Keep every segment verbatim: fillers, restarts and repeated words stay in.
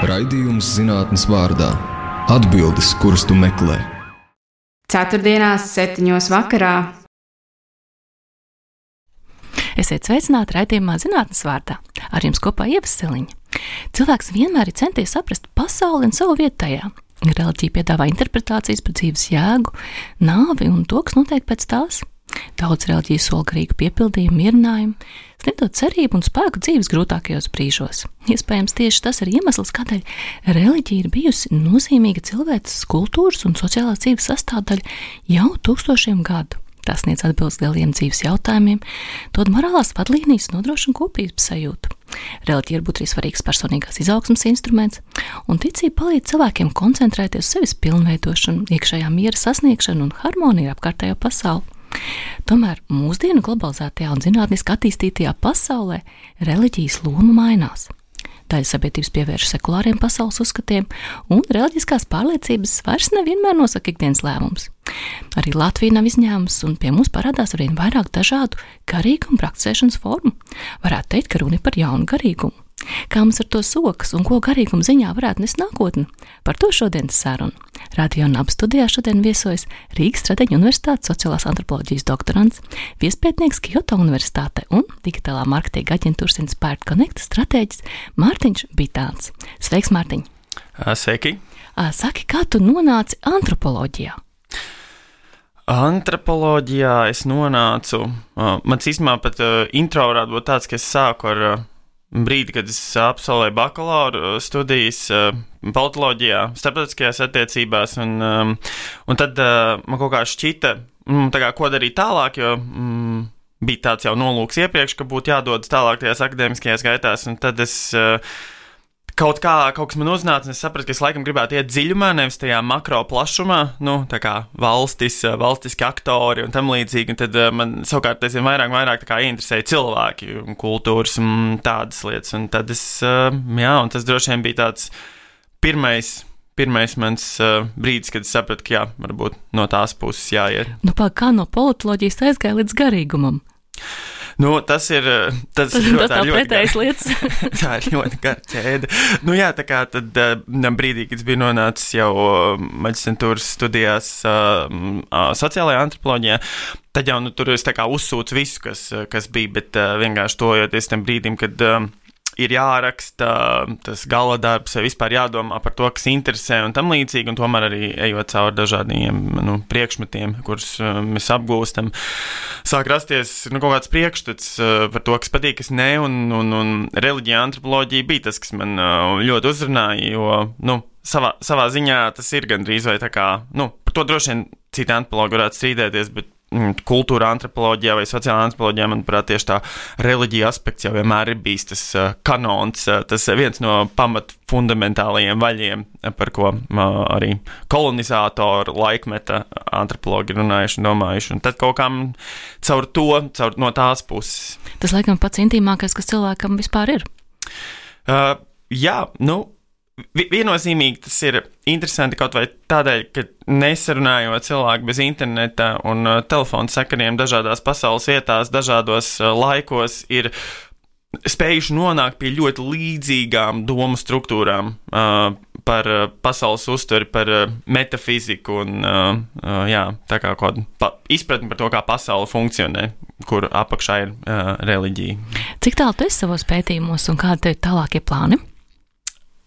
Raidījums zinātnes vārdā. Atbildes, kuras tu meklē. Ceturtdienās, septiņos vakarā. Esiet sveicināti raidījumā zinātnes vārdā. Ar jums kopā Ieva Seliņa. Cilvēks vienmēr ir centies saprast pasauli un savu vietu tajā. Reliģija piedāvā interpretācijas par dzīves jēgu, nāvi un to, kas notiek pēc tās. Daudz reliģiju sola garīgu piepildījumu, mierinājumu, sniedot cerību un spēku dzīves grūtākajos brīžos. Iespējams, tieši tas ir iemesls, kādēļ reliģija ir bijusi nozīmīga cilvēces kultūras un sociālās dzīves sastāvdaļa jau tūkstošiem gadu. Tas sniedz atbildes lieliem dzīves jautājumiem, dod morālās vadlīnijas un nodrošina kopības sajūtu. Reliģija var būt arī svarīgs personīgās izaugsmes instruments, un ticība palīdz cilvēkiem koncentrēties uz sevis pilnveidošanu, iekšējā miera sasniegšanu un harmoniju ar apkārtējo pasauli. Tomēr mūsdienu globalizētajā un zinātniski attīstītajā pasaulē reliģijas loma mainās. Daļa sabiedrības pievērš sekulāriem pasaules uzskatiem, un reliģiskās pārliecības vairs nevienmēr nosaka ikdienas lēmums. Arī Latvija nav izņēmums, un pie mums parādās arvien vairāk dažādu garīgumu praktizēšanas formu. Varētu teikt, ka runa ir par jaunu garīgumu. Kā mums ar to sokas un ko garīguma ziņā varētu nest nākotni? Par to šodienas sarunu. Radio Naba studijā šodien viesojas Rīgas Strateģu universitātes sociālās antropoloģijas doktorants, viespētnieks Kyoto universitātē un digitālā marketinga aģentūras Inspired Connect stratēģis Mārtiņš Bitāns. Sveiks, Mārtiņ! Sveiki! Saki, kā tu nonāci antropoloģijā? Antropoloģijā es nonācu, mans īstenībā pat intro varētu būt tāds, ka es sāku ar brīdi, kad es absolvēju bakalaura studijas politoloģijā, starptautiskajās attiecībās, un, un tad man kaut kā šķita, tā kā, ko darīt tālāk, jo mm, bija tāds jau nolūks iepriekš, ka būtu jādodas tālāk tajās akadēmiskajās gaitās, un tad es kaut kā, kaut kas man uznāca, un es sapratu, ka es laikam gribētu iet dziļumā, nevis tajā makro plašumā, nu, tā kā valstis, valstiski aktori un tam līdzīgi, un tad man savukārt aizvien vairāk, vairāk tā kā ieinteresēja cilvēki un kultūras un tādas lietas, un tad es, jā, un tas droši vien bija tāds pirmais, pirmais mans brīdis, kad es sapratu, ka jā, varbūt no tās puses jāiet. Nu, pā, kā no politoloģijas aizgāja līdz garīgumam? Nu, tas ir, tas tas, ir ļoti, tas tā ļoti pretējas lietas. tā ir ļoti gara ķēde. Nu jā, tā kā tad brīdī, kad es biju nonācis jau maģistrantūras studijās uh, uh, sociālajā antropoloģijā, tad jau nu, tur es tā kā uzsūcu visu, kas, kas bija, bet uh, vienkārši tojoties tam brīdim, kad uh, ir jāraksta tas gala darbs, vispār jādomā par to, kas interesē un tam līdzīgi, un tomēr arī ejot cauri dažādiem nu, priekšmetiem, kurus uh, mēs apgūstam, sāk rasties nu, kaut kāds priekšstats uh, par to, kas patīk, kas ne, un, un, un reliģija, antropoloģija bija tas, kas man uh, ļoti uzrunāja, jo nu, savā, savā ziņā tas ir gandrīz vai tā kā, nu, par to droši vien citi antropologi varētu strīdēties, bet kultūra antropoloģijā vai sociālā antropoloģijā, manuprāt, tieši tā reliģija aspekts jau vienmēr ir bijis tas uh, kanons, uh, tas viens no pamat fundamentālajiem vaļiem, par ko uh, arī kolonizātoru laikmeta antropologi runājuši un domājuši, un tad kaut kam caur to, caur no tās puses. Tas laikam pats intīmākais, kas cilvēkam vispār ir. Uh, jā, nu, viennozīmīgi tas ir interesanti kaut vai tādēļ, ka nesarunājot cilvēku bez interneta un uh, telefonu sakariem dažādās pasaules vietās, dažādos uh, laikos ir spējuši nonākt pie ļoti līdzīgām domu struktūrām uh, par uh, pasaules uztveri, par uh, metafiziku un uh, uh, jā, tā kā kaut pa, izpratni par to, kā pasaule funkcionē, kur apakšā ir uh, reliģija. Cik tālu tu esi savos pētījumos un kādi tev tālākie plāni?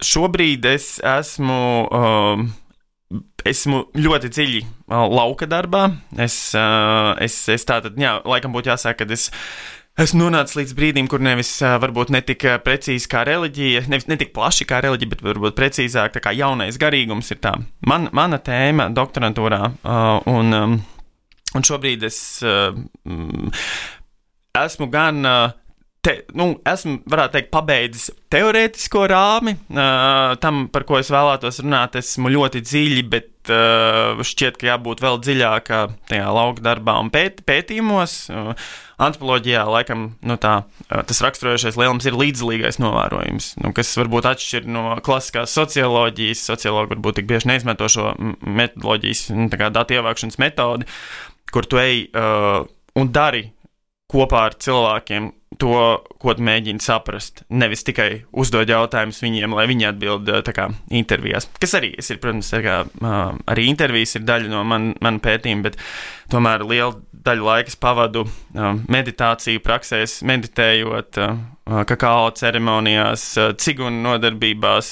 Šobrīd es esmu, uh, esmu ļoti dziļi uh, lauka darbā. Es, uh, es, es tātad, jā, laikam būtu jāsaka, ka es esmu nonācis līdz brīdim, kur nevis uh, varbūt netik precīzi kā reliģija, nevis netik plaši kā reliģija, bet varbūt precīzāk tā kā jaunais garīgums ir tā. Man, mana tēma doktorantūrā, uh, un, um, un šobrīd es uh, esmu gan... Uh, Te, nu, esmu, varētu teikt, pabeidzis teorētisko rāmi, uh, tam, par ko es vēlētos runāt, esmu ļoti dziļi, bet uh, šķiet, ka jābūt vēl dziļākā tajā lauka darbā un pēt, pētījumos. Uh, antropoloģijā, laikam, nu tā, uh, tas raksturojošais lielums ir līdzdalīgais novērojums, nu, kas varbūt atšķir no klasiskās socioloģijas. Sociologi varbūt tik bieži neizmanto šo metodoloģijas, nu, tā kā datu ievākšanas metodi, kur tu ej uh, un dari kopā ar cilvēkiem to, ko tu mēģini saprast. Nevis tikai uzdod jautājumus viņiem, lai viņi atbild tā kā intervijās. Kas arī ir, protams, tā kā, arī intervijas ir daļa no man, man pētījuma, bet tomēr liela daļa laikas pavadu meditāciju praksēs, meditējot, kakao ceremonijās, cigunu nodarbībās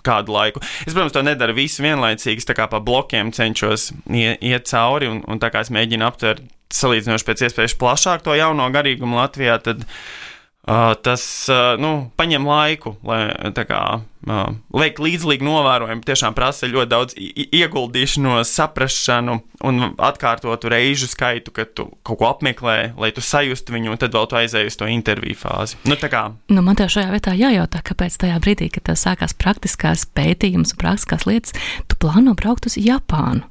kādu laiku. Es, protams, to nedaru visu vienlaicīgi, tā kā pa blokiem cenšos iet cauri, un, un tā kā es mēģinu aptvert salīdzinoši pēc iespējas plašāk to jauno garīgumu Latvijā, tad uh, tas, uh, nu, paņem laiku, lai tā kā uh, veikt līdzlīgi novērojumu, tiešām prasa ļoti daudz ieguldīšanos, saprašanu un atkārtotu reižu skaitu, kad tu kaut ko apmeklē, lai tu sajustu viņu, un tad vēl tu aizēji uz to interviju fāzi. Nu, tā kā. Nu, man tev šajā vietā jājautā, kāpēc tajā brīdī, kad tev sākās praktiskās pētījums un praktiskās lietas, tu plāno braukt uz Japānu.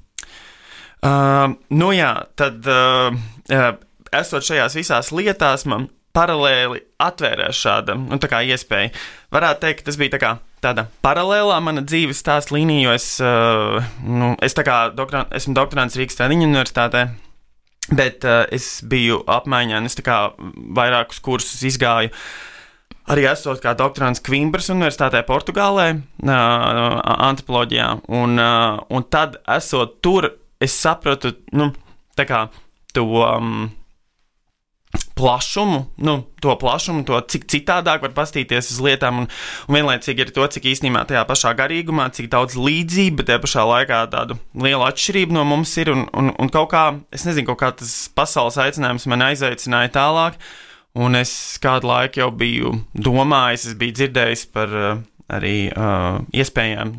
Uh, nu jā, tad uh, uh, esot šajās visās lietās, man paralēli atvērās šāda, nu tā kā iespēja. Varētu teikt, ka tas bija tā kā tāda paralēlā mana dzīves stāsta līnija, jo es, uh, nu, es tā kā doktor, esmu doktorants Rīgas Tradiņu universitātē, bet uh, es biju apmaiņā, un es tā kā vairākus kursus izgāju. Arī esot kā doktorants Kvimbras universitātē Portugālē, uh, antropoloģijā, un, uh, un tad esot tur, es sapratu, nu, tā kā to um, plašumu, nu, to plašumu, to cik citādāk var pastīties uz lietām, un, un vienlaicīgi ir to, cik īstenībā tajā pašā garīgumā, cik daudz līdzība, bet tajā pašā laikā tādu lielu atšķirību no mums ir, un, un, un kaut kā, es nezinu, kaut kā tas pasaules aicinājums man aizaicināja tālāk, un es kādu laiku jau biju domājis, es biju dzirdējis par uh, arī uh, iespējām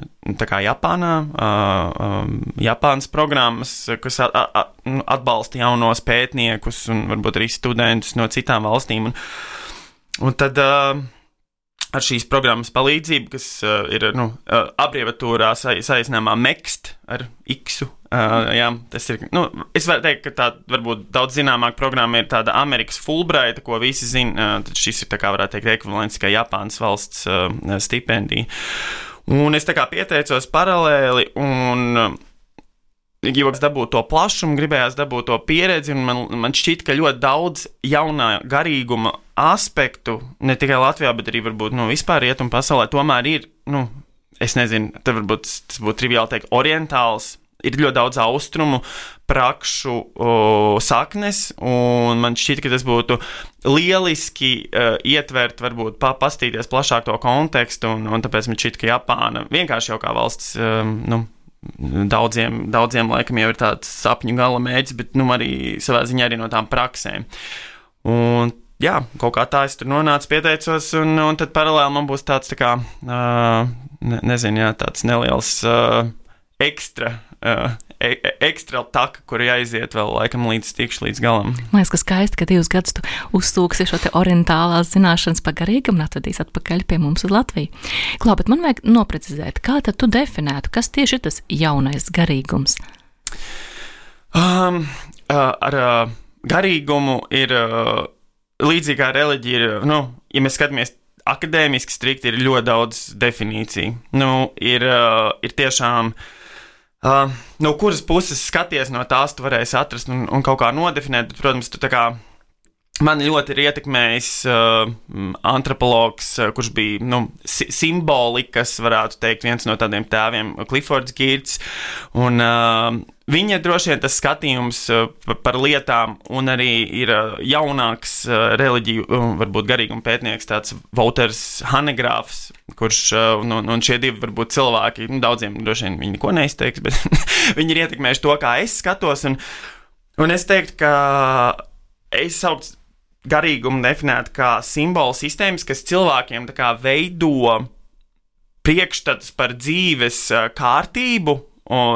tā kā Japānā, uh, uh, Japānas programmas, kas at, at, atbalsta jaunos pētniekus un varbūt arī studentus no citām valstīm. Un, un tad uh, ar šīs programmas palīdzību, kas uh, ir nu, uh, abreviatūrā sa, saīsinājumā MEXT ar X-u, uh, jā, tas ir, nu, es varu teikt, ka tā varbūt daudz zināmāk programma ir tāda Amerikas Fulbrighta, ko visi zina, uh, tad šis ir tā kā varētu teikt ekvivalents kā Japānas valsts uh, stipendija. Un es tā kā pieteicos paralēli un uh, gribējās dabūt to plašumu, gribējās dabūt to pieredzi, un man, man šķiet, ka ļoti daudz jaunā garīguma aspektu, ne tikai Latvijā, bet arī varbūt nu, vispār rietumu pasaulē, tomēr ir, nu, es nezinu, tad varbūt tas būtu triviāli teikt, orientāls, ir ļoti daudz austrumu prakšu o, saknes, un man šķiet, ka tas būtu lieliski uh, ietvert, varbūt pa, pastīties plašāk to kontekstu, un, un tāpēc man šķiet, ka Japāna vienkārši jau kā valsts, um, nu, Daudziem, daudziem laikam jau ir tāds sapņu gala mērķis, bet nu, arī savā ziņā arī no tām praksēm. Un, jā, kaut kā tā es tur nonācu, pieteicos, un, un tad paralēli man būs tāds, tā kā, uh, ne, nezinu, jā, tāds neliels uh, ekstra, uh, e, ekstra taka, kur jāiziet vēl laikam līdz tikšu līdz galam. Man liekas, ka skaisti, ka divus gadus tu uzsūksi šo te orientālās zināšanas pa garīgumu un atvedīs atpakaļ pie mums uz Latviju. Klau, bet man vajag noprecizēt, kā tad tu definētu, kas tieši ir tas jaunais garīgums? Um, uh, ar uh, garīgumu ir uh, līdzīgi kā reliģija, ir, nu, ja mēs skatāmies akadēmiski strikti, ir ļoti daudz definīciju. Nu, ir, uh, ir tiešām Uh, no kuras puses skaties no tās, tu varēsi atrast un, un kaut kā nodefinēt, bet, protams, tu tā kā mani ļoti ir ietekmējis uh, antropologs, uh, kurš bija, nu, si- simbolikas, varētu teikt, viens no tādiem tēviem, Cliffords Geertz, un uh, viņa droši vien tas skatījums uh, par lietām, un arī ir uh, jaunāks uh, reliģiju, uh, varbūt garīguma pētnieks, tāds Wouters Hanegrāfs, kurš, uh, un, un šie divi varbūt cilvēki, nu, daudziem droši vien viņi neko neizteiks, bet viņi ir ietekmējuši to, kā es skatos, un, un es teiktu, ka es saucu garīgumu definētu kā simbolu sistēmas, kas cilvēkiem tā kā veido priekšstats par dzīves kārtību,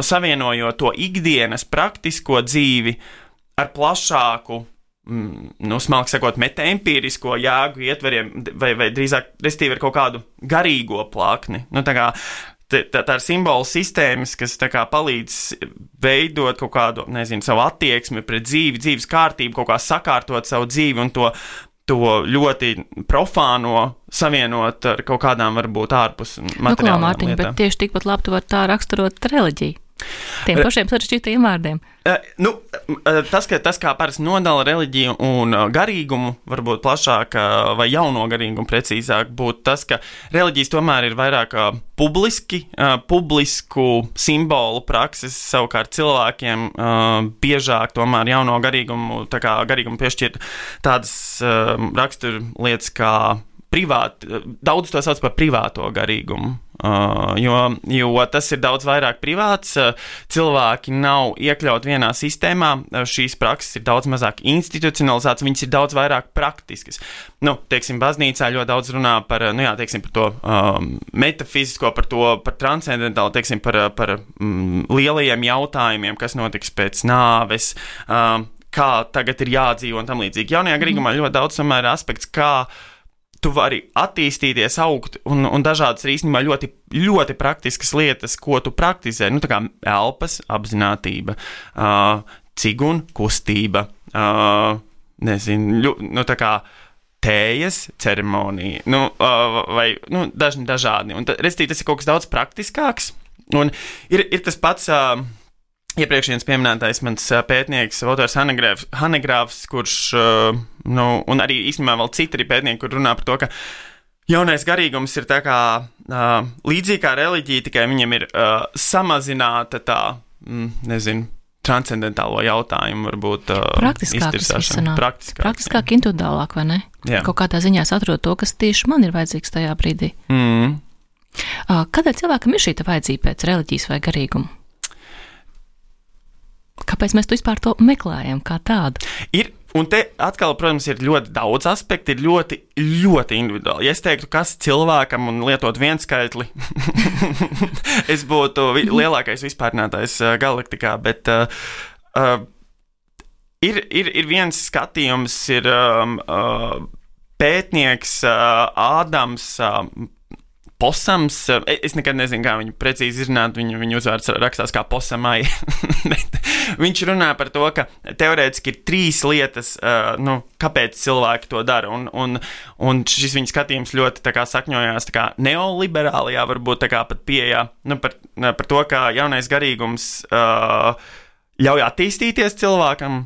savienojot to ikdienas praktisko dzīvi ar plašāku, nu, smalki sakot, metaempīrisko jēgu ietveriem, vai, vai drīzāk, restīvi ar kaut kādu garīgo plakni. Nu, tā kā tā, tā ir simbolu sistēmas, kas tā kā palīdz veidot kaut kādu, nezinu, savu attieksmi pret dzīvi, dzīves kārtību, kaut kā sakārtot savu dzīvi un to, to ļoti profāno savienot ar kaut kādām varbūt ārpus materiālām nu, Mārtiņ, lietām. Bet tieši tikpat labi tu vari tā raksturot reliģiju. Tiem pašiem sarežģītajiem vārdiem. Uh, nu, tas, ka, tas, kā parasti nodala reliģiju un garīgumu, varbūt plašāk, vai jauno garīgumu precīzāk, būtu tas, ka reliģijas tomēr ir vairāk publiski, uh, publisku simbolu prakses, savukārt cilvēkiem uh, biežāk tomēr jauno garīgumu, tā kā garīgumu piešķirt tādas uh, rakstur lietas kā privāti, daudz to sauc par privāto garīgumu. Uh, jo, jo tas ir daudz vairāk privāts, uh, cilvēki nav iekļauti vienā sistēmā, uh, šīs prakses ir daudz mazāk institucionalizētas, viņas ir daudz vairāk praktiskas. Nu, teiksim, baznīcā ļoti daudz runā par, nu jā, teiksim, par to um, metafizisko, par to, par transcendentālu, teiksim, par, par mm, lielajiem jautājumiem, kas notiks pēc nāves, um, kā tagad ir jādzīvo un tam līdzīgi. Jaunajā garīgumā ļoti daudz tomēr aspekts, kā tu vari attīstīties, augt, un, un dažādas ir īstenībā ļoti, ļoti praktiskas lietas, ko tu praktizē. Nu, tā kā elpas apzinātība, uh, cigunu kustība, uh, nezinu, ļu, nu, tā kā tējas ceremonija, nu, uh, vai, nu, dažni dažādi. Un, restīvi, tas ir kaut kas daudz praktiskāks, un ir, ir tas pats... Uh, Iepriekšējais pieminētais mans pētnieks, autors Hanegrāfs, kurš, nu, un arī īstenībā vēl citi pētnieki, kur runā par to, ka jaunais garīgums ir tā kā uh, līdzīgi kā reliģija, tikai viņam ir uh, samazināta tā, mm, nezinu, transcendentālo jautājumu, varbūt uh, iztirsāšana. Praktiskāk, praktiskāk individuālāk, vai ne? Jā. Kaut kādā ziņā es atrodu to, kas tieši man ir vajadzīgs tajā brīdī. Mm. Uh, kādēļ cilvēkam ir šī vajadzība pēc reliģijas vai garīguma? Kāpēc mēs to vispār to meklējam kā tādu? Ir, un te atkal, protams, ir ļoti daudz aspektu, ir ļoti, ļoti individuāli. Ja es teiktu, kas cilvēkam un lietot vienu skaitli, es būtu vi- lielākais vispārnātais uh, galaktikā, bet uh, uh, ir, ir, ir viens skatījums, ir um, uh, pētnieks uh, Ādams uh, Posams, es nekad nezinu, kā viņu precīzi izrunāt, viņu, viņu uzvārds rakstās kā posamai, bet viņš runā par to, ka teorētiski ir trīs lietas, uh, nu, kāpēc cilvēki to dara, un, un, un šis viņa skatījums ļoti tā kā sakņojās tā kā neoliberālajā, varbūt tā kā pat pieejā, nu, par, par to, kā jaunais garīgums uh, ļauj attīstīties cilvēkam,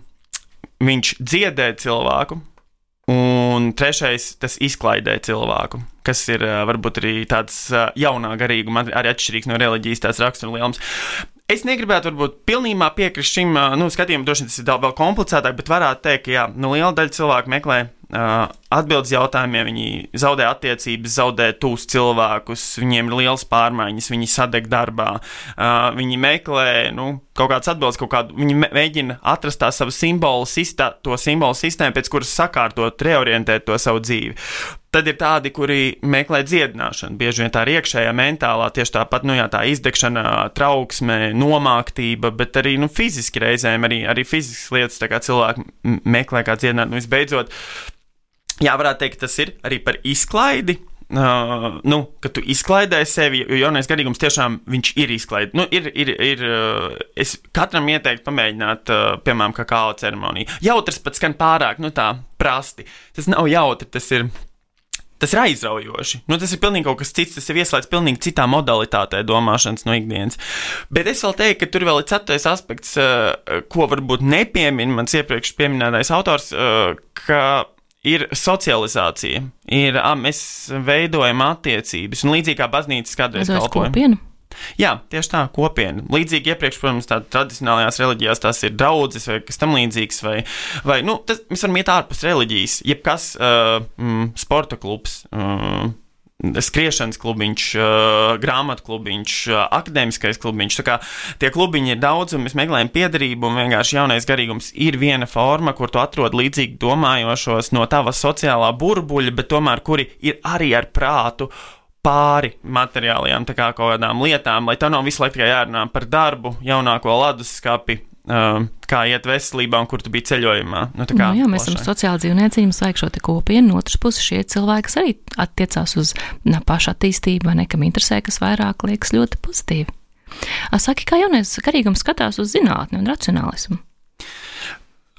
viņš dziedē cilvēku, un trešais, tas izklaidē cilvēku, kas ir varbūt arī tāds jaunā garīguma, arī atšķirīgs no reliģijas tās raksturlielums. Es negribētu varbūt pilnībā piekrist šim, nu, skatījumam, droši vien tas ir vēl komplicētāk, bet varētu teikt, ka jā, nu, liela daļa cilvēku meklē uh, atbildes jautājumiem, viņi zaudē attiecības, zaudē tūs cilvēkus, viņiem ir liels pārmaiņas, viņi sadeg darbā, uh, viņi meklē, nu, kaut kāds atbildes, kaut kādu, viņi mēģina atrast tā savu simbolu, sistā, to simbolu sistēmu, pēc kuras sakārtot, reorientēt to savu dzīvi. Tad ir tādi, kuri meklē dziedināšanu, bieži vien tā ir iekšējā mentālā, tieši tāpat, nu jā, tā izdegšana, trauksme, nomāktība, bet arī, nu, fiziski reizēm, arī, arī fiziskas lietas, tā kā cilvēki meklē kā dziedināt, nu, visbeidzot, jā, varētu teikt, tas ir arī par izklaidi, uh, nu, ka tu izklaidē sevi, jo jaunais garīgums tiešām viņš ir izklaidi, nu, ir, ir, ir, uh, es katram ieteiktu pamēģināt, uh, piemēram, kakao ceremoniju. Jautrs pat skan pārāk, nu, tā prasti, tas nav jautri, tas ir... Tas ir aizraujoši. Nu, tas ir pilnīgi kaut kas cits, tas ir ieslēdz pilnīgi citā modalitātē domāšanas no ikdienas. Bet es vēl teiktu, ka tur vēl ir ceturtais aspekts, ko varbūt nepiemin mans iepriekš pieminētais autors, ka ir socializācija. Ir, mēs veidojam attiecības, un līdzīgi kā baznīcas kādreiz kalpoja. Jā, tieši tā, kopiena. Līdzīgi iepriekš, protams, tā tradicionālajās reliģijās tās ir draudzes vai kas tam līdzīgs, vai, vai nu, tas, mēs varam iet ārpus reliģijas, jebkas uh, mm, sporta klubs, uh, skriešanas klubiņš, uh, grāmatu klubiņš, uh, akadēmiskais klubiņš, tā kā tie klubiņi ir daudz, un mēs meklējam piederību, un vienkārši jaunais garīgums ir viena forma, kur tu atrod līdzīgi domājošos no tava sociālā burbuļa, bet tomēr kuri ir arī ar prātu pāri materiālajām, tā kā kaut kādām lietām, lai tev nav visu laiku tikai jārunā par darbu, jaunāko leduskapi, uh, kā iet veselībā un kur tu biji ceļojumā. Nu, tā kā nu, jā, mēs esam sociāli dzīvnieci, mums vajag šo te kopienu, no otras puses šie cilvēki, kas arī attiecās uz na, pašu attīstību, vai nekam interesē, kas vairāk liekas ļoti pozitīvi. A, saki, kā jaunais garīgums skatās uz zinātni un racionālismu?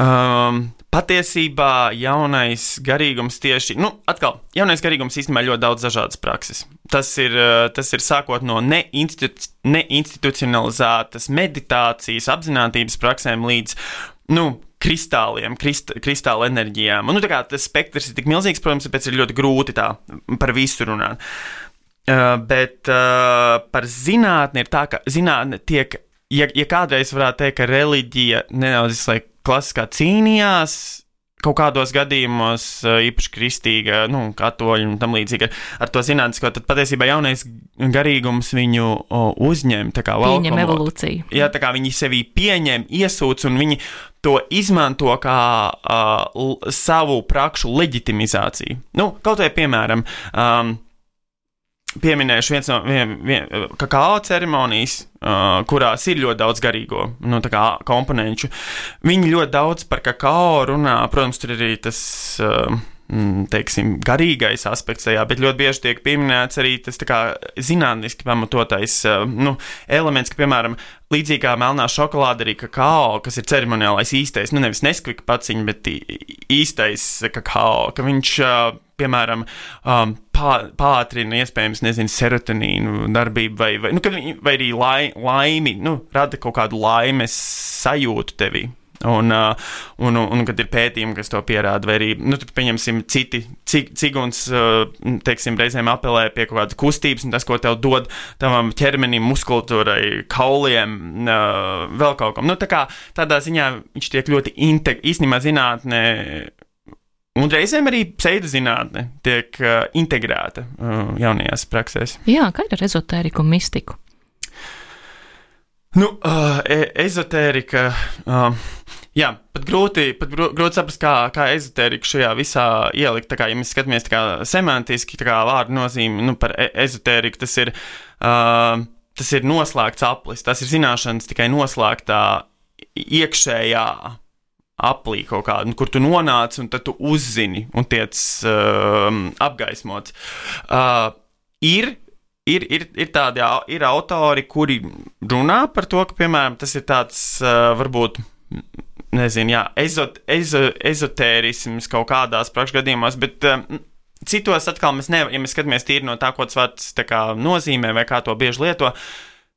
Um, patiesībā jaunais garīgums tieši, nu, atkal, jaunais garīgums īstenībā ļoti daudz dažādas prakses. Tas ir, tas ir sākot no neinstitu, neinstitucionalizētas meditācijas, apzinātības praksēm līdz, nu, kristāliem, krist, kristāla enerģijām. Un, nu, tā kā tas spektrs ir tik milzīgs, protams, tāpēc ir ļoti grūti tā par visu runāt. Uh, bet uh, par zinātni ir tā, ka zinātne tiek, ja, ja kādreiz varētu teikt, ka reliģija nedaudz, lai klasiskā cīnījās kaut kādos gadījumos, īpaši kristīga, nu, katoļi un tam līdzīgi ar to zinātnisko, tad patiesībā jaunais garīgums viņu uzņem, tā kā pieņem evolūciju. Jā, tā kā viņi sevī pieņem, iesūc un viņi to izmanto kā uh, savu prakšu leģitimizāciju. Nu, kaut vai piemēram, um, pieminējuši viens no vien, vien, kakao ceremonijas, uh, kurās ir ļoti daudz garīgo, nu, tā kā komponenču. Viņi ļoti daudz par kakao runā, protams, tur arī tas, uh, teiksim, garīgais aspekts tajā, bet ļoti bieži tiek pieminēts arī tas tā kā zinātniski pamatotais, uh, nu, elements, ka, piemēram, līdzīgi kā melnā šokolāde arī kakao, kas ir ceremoniālais īstais, nu, nevis neskvika paciņa, bet īstais kakao, ka viņš, uh, piemēram, um, pā, pātrina iespējams, nezinu, serotonīnu darbību vai, vai, nu, vai arī lai, laimi, nu, rada kaut kādu laimes sajūtu tevī. Un, uh, un, un, un, kad ir pētījumi, kas to pierāda, vai arī, nu, tad pieņemsim citi, cig, ciguns, uh, teiksim, reizēm apelē pie kaut kādas kustības, un tas, ko tev dod tavam ķermenim, muskultūrai, kauliem, uh, vēl kaut kam. Nu, tā kā tādā ziņā viņš tiek ļoti integ, īstenībā zinātnē, un reizēm arī pseidozinātne tiek uh, integrēta uh, jaunajās praksēs. Jā, kā ir ar ezotēriku un mistiku? Nu, uh, e ezotērika, uh, jā, pat grūti, pat grūti saprast, kā, kā ezotērika šajā visā ielikt, tā kā, ja mēs skatāmies tā kā semantiski, tā kā vārdu nozīme, nu, par e ezotēriku, tas ir, uh, tas ir noslēgts aplis, tas ir zināšanas tikai noslēgtā iekšējā aplī kaut kādu, kur tu nonāc un tad tu uzzini un tiec uh, apgaismots. Uh, ir Ir, ir, ir tādi ir autori, kuri runā par to, ka, piemēram, tas ir tāds, uh, varbūt, nezinu, jā, ezot, ezo, ezotērisms kaut kādās prakšu gadījumos, bet um, citos atkal mēs nevaram, ja mēs skatāmies tīri no tā, ko tas vārds tā kā nozīmē vai kā to bieži lieto,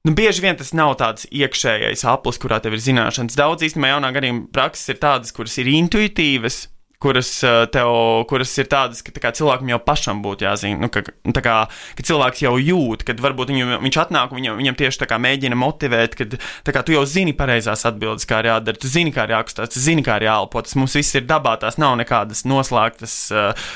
nu, bieži vien tas nav tāds iekšējais aplis, kurā tev ir zināšanas. Daudz īstenībā jaunā garīguma prakses ir tādas, kuras ir intuitīvas, kuras, tev, kuras ir tādas, ka tā kā cilvēkam jau pašam būtu jāzina, nu, ka, tā kā, ka cilvēks jau jūt, kad varbūt viņu, viņš atnāk un viņam, viņam tieši tā kā mēģina motivēt, kad tā kā tu jau zini pareizās atbildes, kā ir jādara, tu zini, kā ir jākustās, tu zini, kā ir jāelpo, tas mums viss ir dabā, tās nav nekādas noslēgtas uh,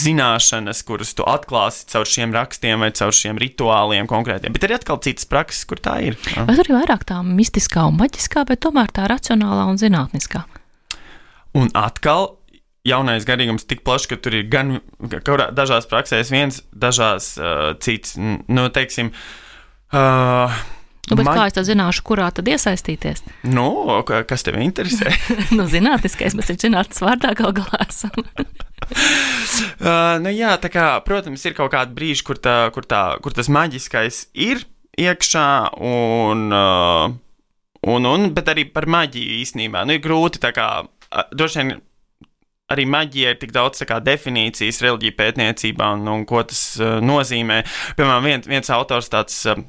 zināšanas, kuras tu atklāsi caur šiem rakstiem vai caur šiem rituāliem konkrētiem, bet ir atkal citas prakses, kur tā ir. Uh. Vai tur ir vairāk tā mistiskā un maģiskā, bet tomēr tā racionālā un zinātniskā? Un atkal jaunais garīgums tik plašs, ka tur ir gan kaurā, dažās praksēs viens, dažās uh, cits, nu, teiksim, uh, nu, bet man... kā es tad zināšu, kurā tad iesaistīties? Nu, kas tevi interesē? Nu, zinātniskais, mēs ir zinātnes vārdā gal galā esam. uh, nu, jā, tā kā, protams, ir kaut kādi brīži, kur, tā, kur, tā, kur tas maģiskais ir iekšā un, uh, un, un, bet arī par maģiju īstenībā. Nu, ir grūti, tā kā, uh, droši vien, arī maģija ir tik daudz tā kā definīcijas reliģija pētniecībā un, un ko tas uh, nozīmē. Piemēram, vien, viens autors tāds uh,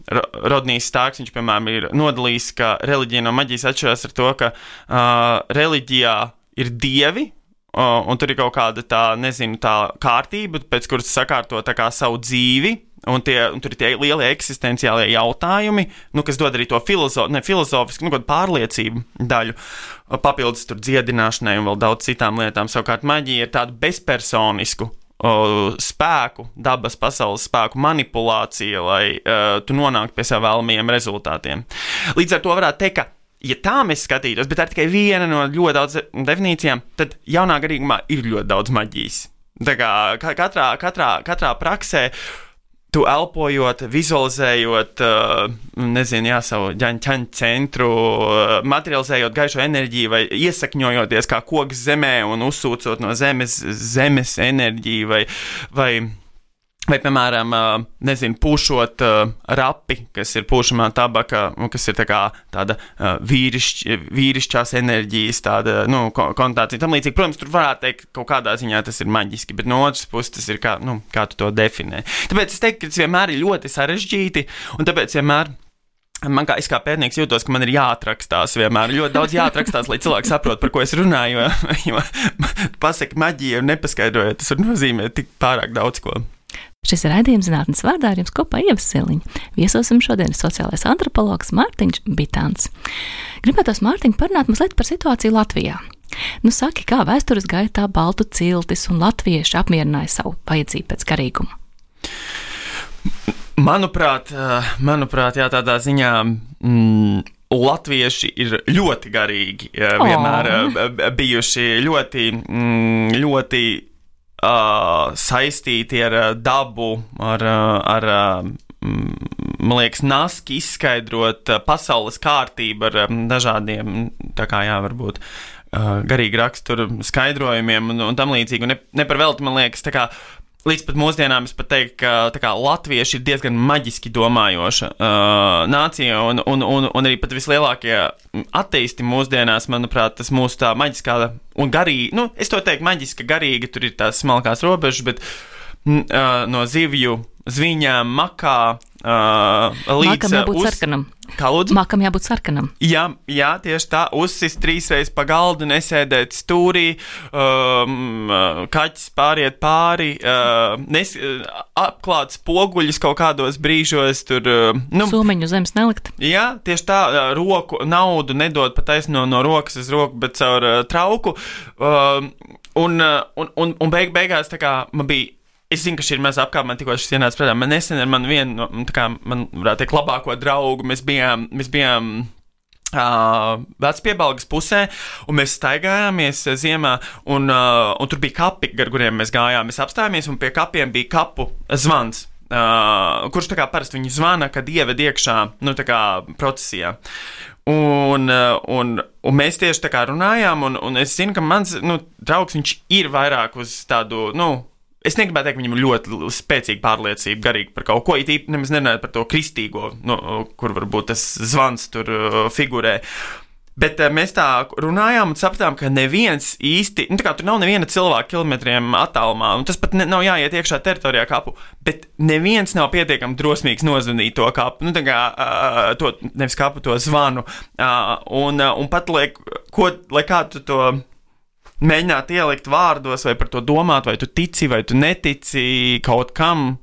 Rodnijs Stārks, viņš, piemēram, ir nodalījis, ka reliģija no maģijas atšķirās ar to, ka uh, reliģijā ir dievi, uh, un tur ir kaut kāda tā, nezinu, tā kārtība, pēc kuras sakārto tā kā savu dzīvi, un, tie, un tur ir tie lielie eksistenciālie jautājumi, nu, kas dod arī to filozo, ne, filozofisku, nu, pārliecību daļu, papildus tur dziedināšanai un vēl daudz citām lietām. Savukārt maģija ir tādu bezpersonisku o, spēku, dabas pasaules spēku manipulācija, lai uh, tu nonāktu pie saviem vēlamajiem rezultātiem. Līdz ar to varētu teikt, ka, ja tā mēs skatītos, bet tā ir tikai viena no ļoti daudz definīcijām, tad jaunā garīgumā ir ļoti daudz maģijas. Tā kā katrā, katrā, katrā praksē tu elpojot, vizualizējot, nezinu, jā, savu ģaņu centru, materializējot gaišo enerģiju vai iesakņojoties kā koks zemē un uzsūcot no zemes, zemes enerģiju vai, vai Vai, piemēram, nezinu, pūšot uh, rapi, kas ir pūšamā tabaka, kas ir tā kā tāda uh, vīrišķ, vīrišķās enerģijas, tāda, nu, konnotācija. Tam līdzīgi, protams, tur varētu teikt, kaut kādā ziņā tas ir maģiski, bet no otras puses tas ir kā, nu, kā tu to definē. Tāpēc es teiktu, ka tas vienmēr ir ļoti sarežģīti, un tāpēc vienmēr man kā, es kā pētnieks jūtos, ka man ir jāatrakstās vienmēr, ļoti daudz jāatrakstās, lai cilvēki saprot, par ko es runāju, jo, jo pasaka maģija un nepaskaidrojot, tas var nozīmēt tik pārāk daudz ko. Šis ir raidījums Zinātnes vārdā, ar jums kopā Ieva Siliņa. Viesosim šodien sociālais antropologs Mārtiņš Bitāns. Gribētos, Mārtiņ, parunāt mazliet par situāciju Latvijā. Nu, saki, kā vēstures gaitā baltu ciltis un latvieši apmierināja savu vajadzību pēc garīguma? Manuprāt, manuprāt, jā, tādā ziņā mm, latvieši ir ļoti garīgi, vienmēr oh. bijuši ļoti, mm, ļoti Uh, saistīti ar uh, dabu, ar, uh, ar uh, man liekas, naski izskaidrot uh, pasaules kārtību ar um, dažādiem, tā kā jā, varbūt uh, garīgi raksturu skaidrojumiem un, un tam līdzīgi. Un ne, ne par velti, man liekas, tā kā līdz pat mūsdienām es pat teiktu, ka tā kā latvieši ir diezgan maģiski domājoša uh, nācija, un, un, un, un arī pat vislielākie ateisti mūsdienās, manuprāt, tas mūsu tā maģiskā un garīga, nu, es to teiktu maģiska garīga, tur ir tās smalkās robežas, bet uh, no zivju zviņām, makā, uh, līdz... Makam jābūt uz... sarkanam. Kā lūdzu? Makam jābūt sarkanam. Jā, jā, tieši tā, uzsist trīsreiz pa galdu, nesēdēt stūrī, um, kaķis pāriet pāri, uh, nes, apklāt spoguļus kaut kādos brīžos, tur... Uh, nu, Somiņu zemes nelikt. Jā, tieši tā, roku, naudu nedod pa taisno no rokas uz roku, bet caur uh, trauku, uh, un, un, un, un beig, beigās tā kā man bija... Es zinu, ka šī ir maza apkārt, man tikko šis ienāca prātā. Man nesen ar mani vienu, tā kā, man varētu teikt, labāko draugu, mēs bijām, mēs bijām uh, vecpiebalgas pusē, un mēs staigājāmies ziemā, un, uh, un tur bija kapi, gar kuriem mēs gājām. Mēs apstājāmies, un pie kapiem bija kapu zvans, uh, kurš tā kā parasti viņu zvana, kad ieved iekšā, nu, tā kā procesijā. Un, un, un mēs tieši tā kā runājām, un, un es zinu, ka mans, nu, draugs, viņš ir vairāk uz tādu, nu, es negribētu teikt, ka viņam ir ļoti spēcīga pārliecība garīgi par kaut ko, it īpaši nemaz nerunājot par to kristīgo, nu, kur varbūt tas zvans tur uh, figurē. Bet uh, mēs tā runājām un sapratām, ka neviens īsti, nu tā kā tur nav neviena cilvēka kilometriem attālumā, un tas pat ne, nav jāiet iekšā teritorijā kapu, bet neviens nav pietiekami drosmīgs nozvanīt to kapu, nu tā kā uh, to, nevis kapu, to zvanu, uh, un, uh, un pat, lai, ko, lai kā tu to... mēģināt ielikt vārdos, vai par to domāt, vai tu tici, vai tu netici kaut kam.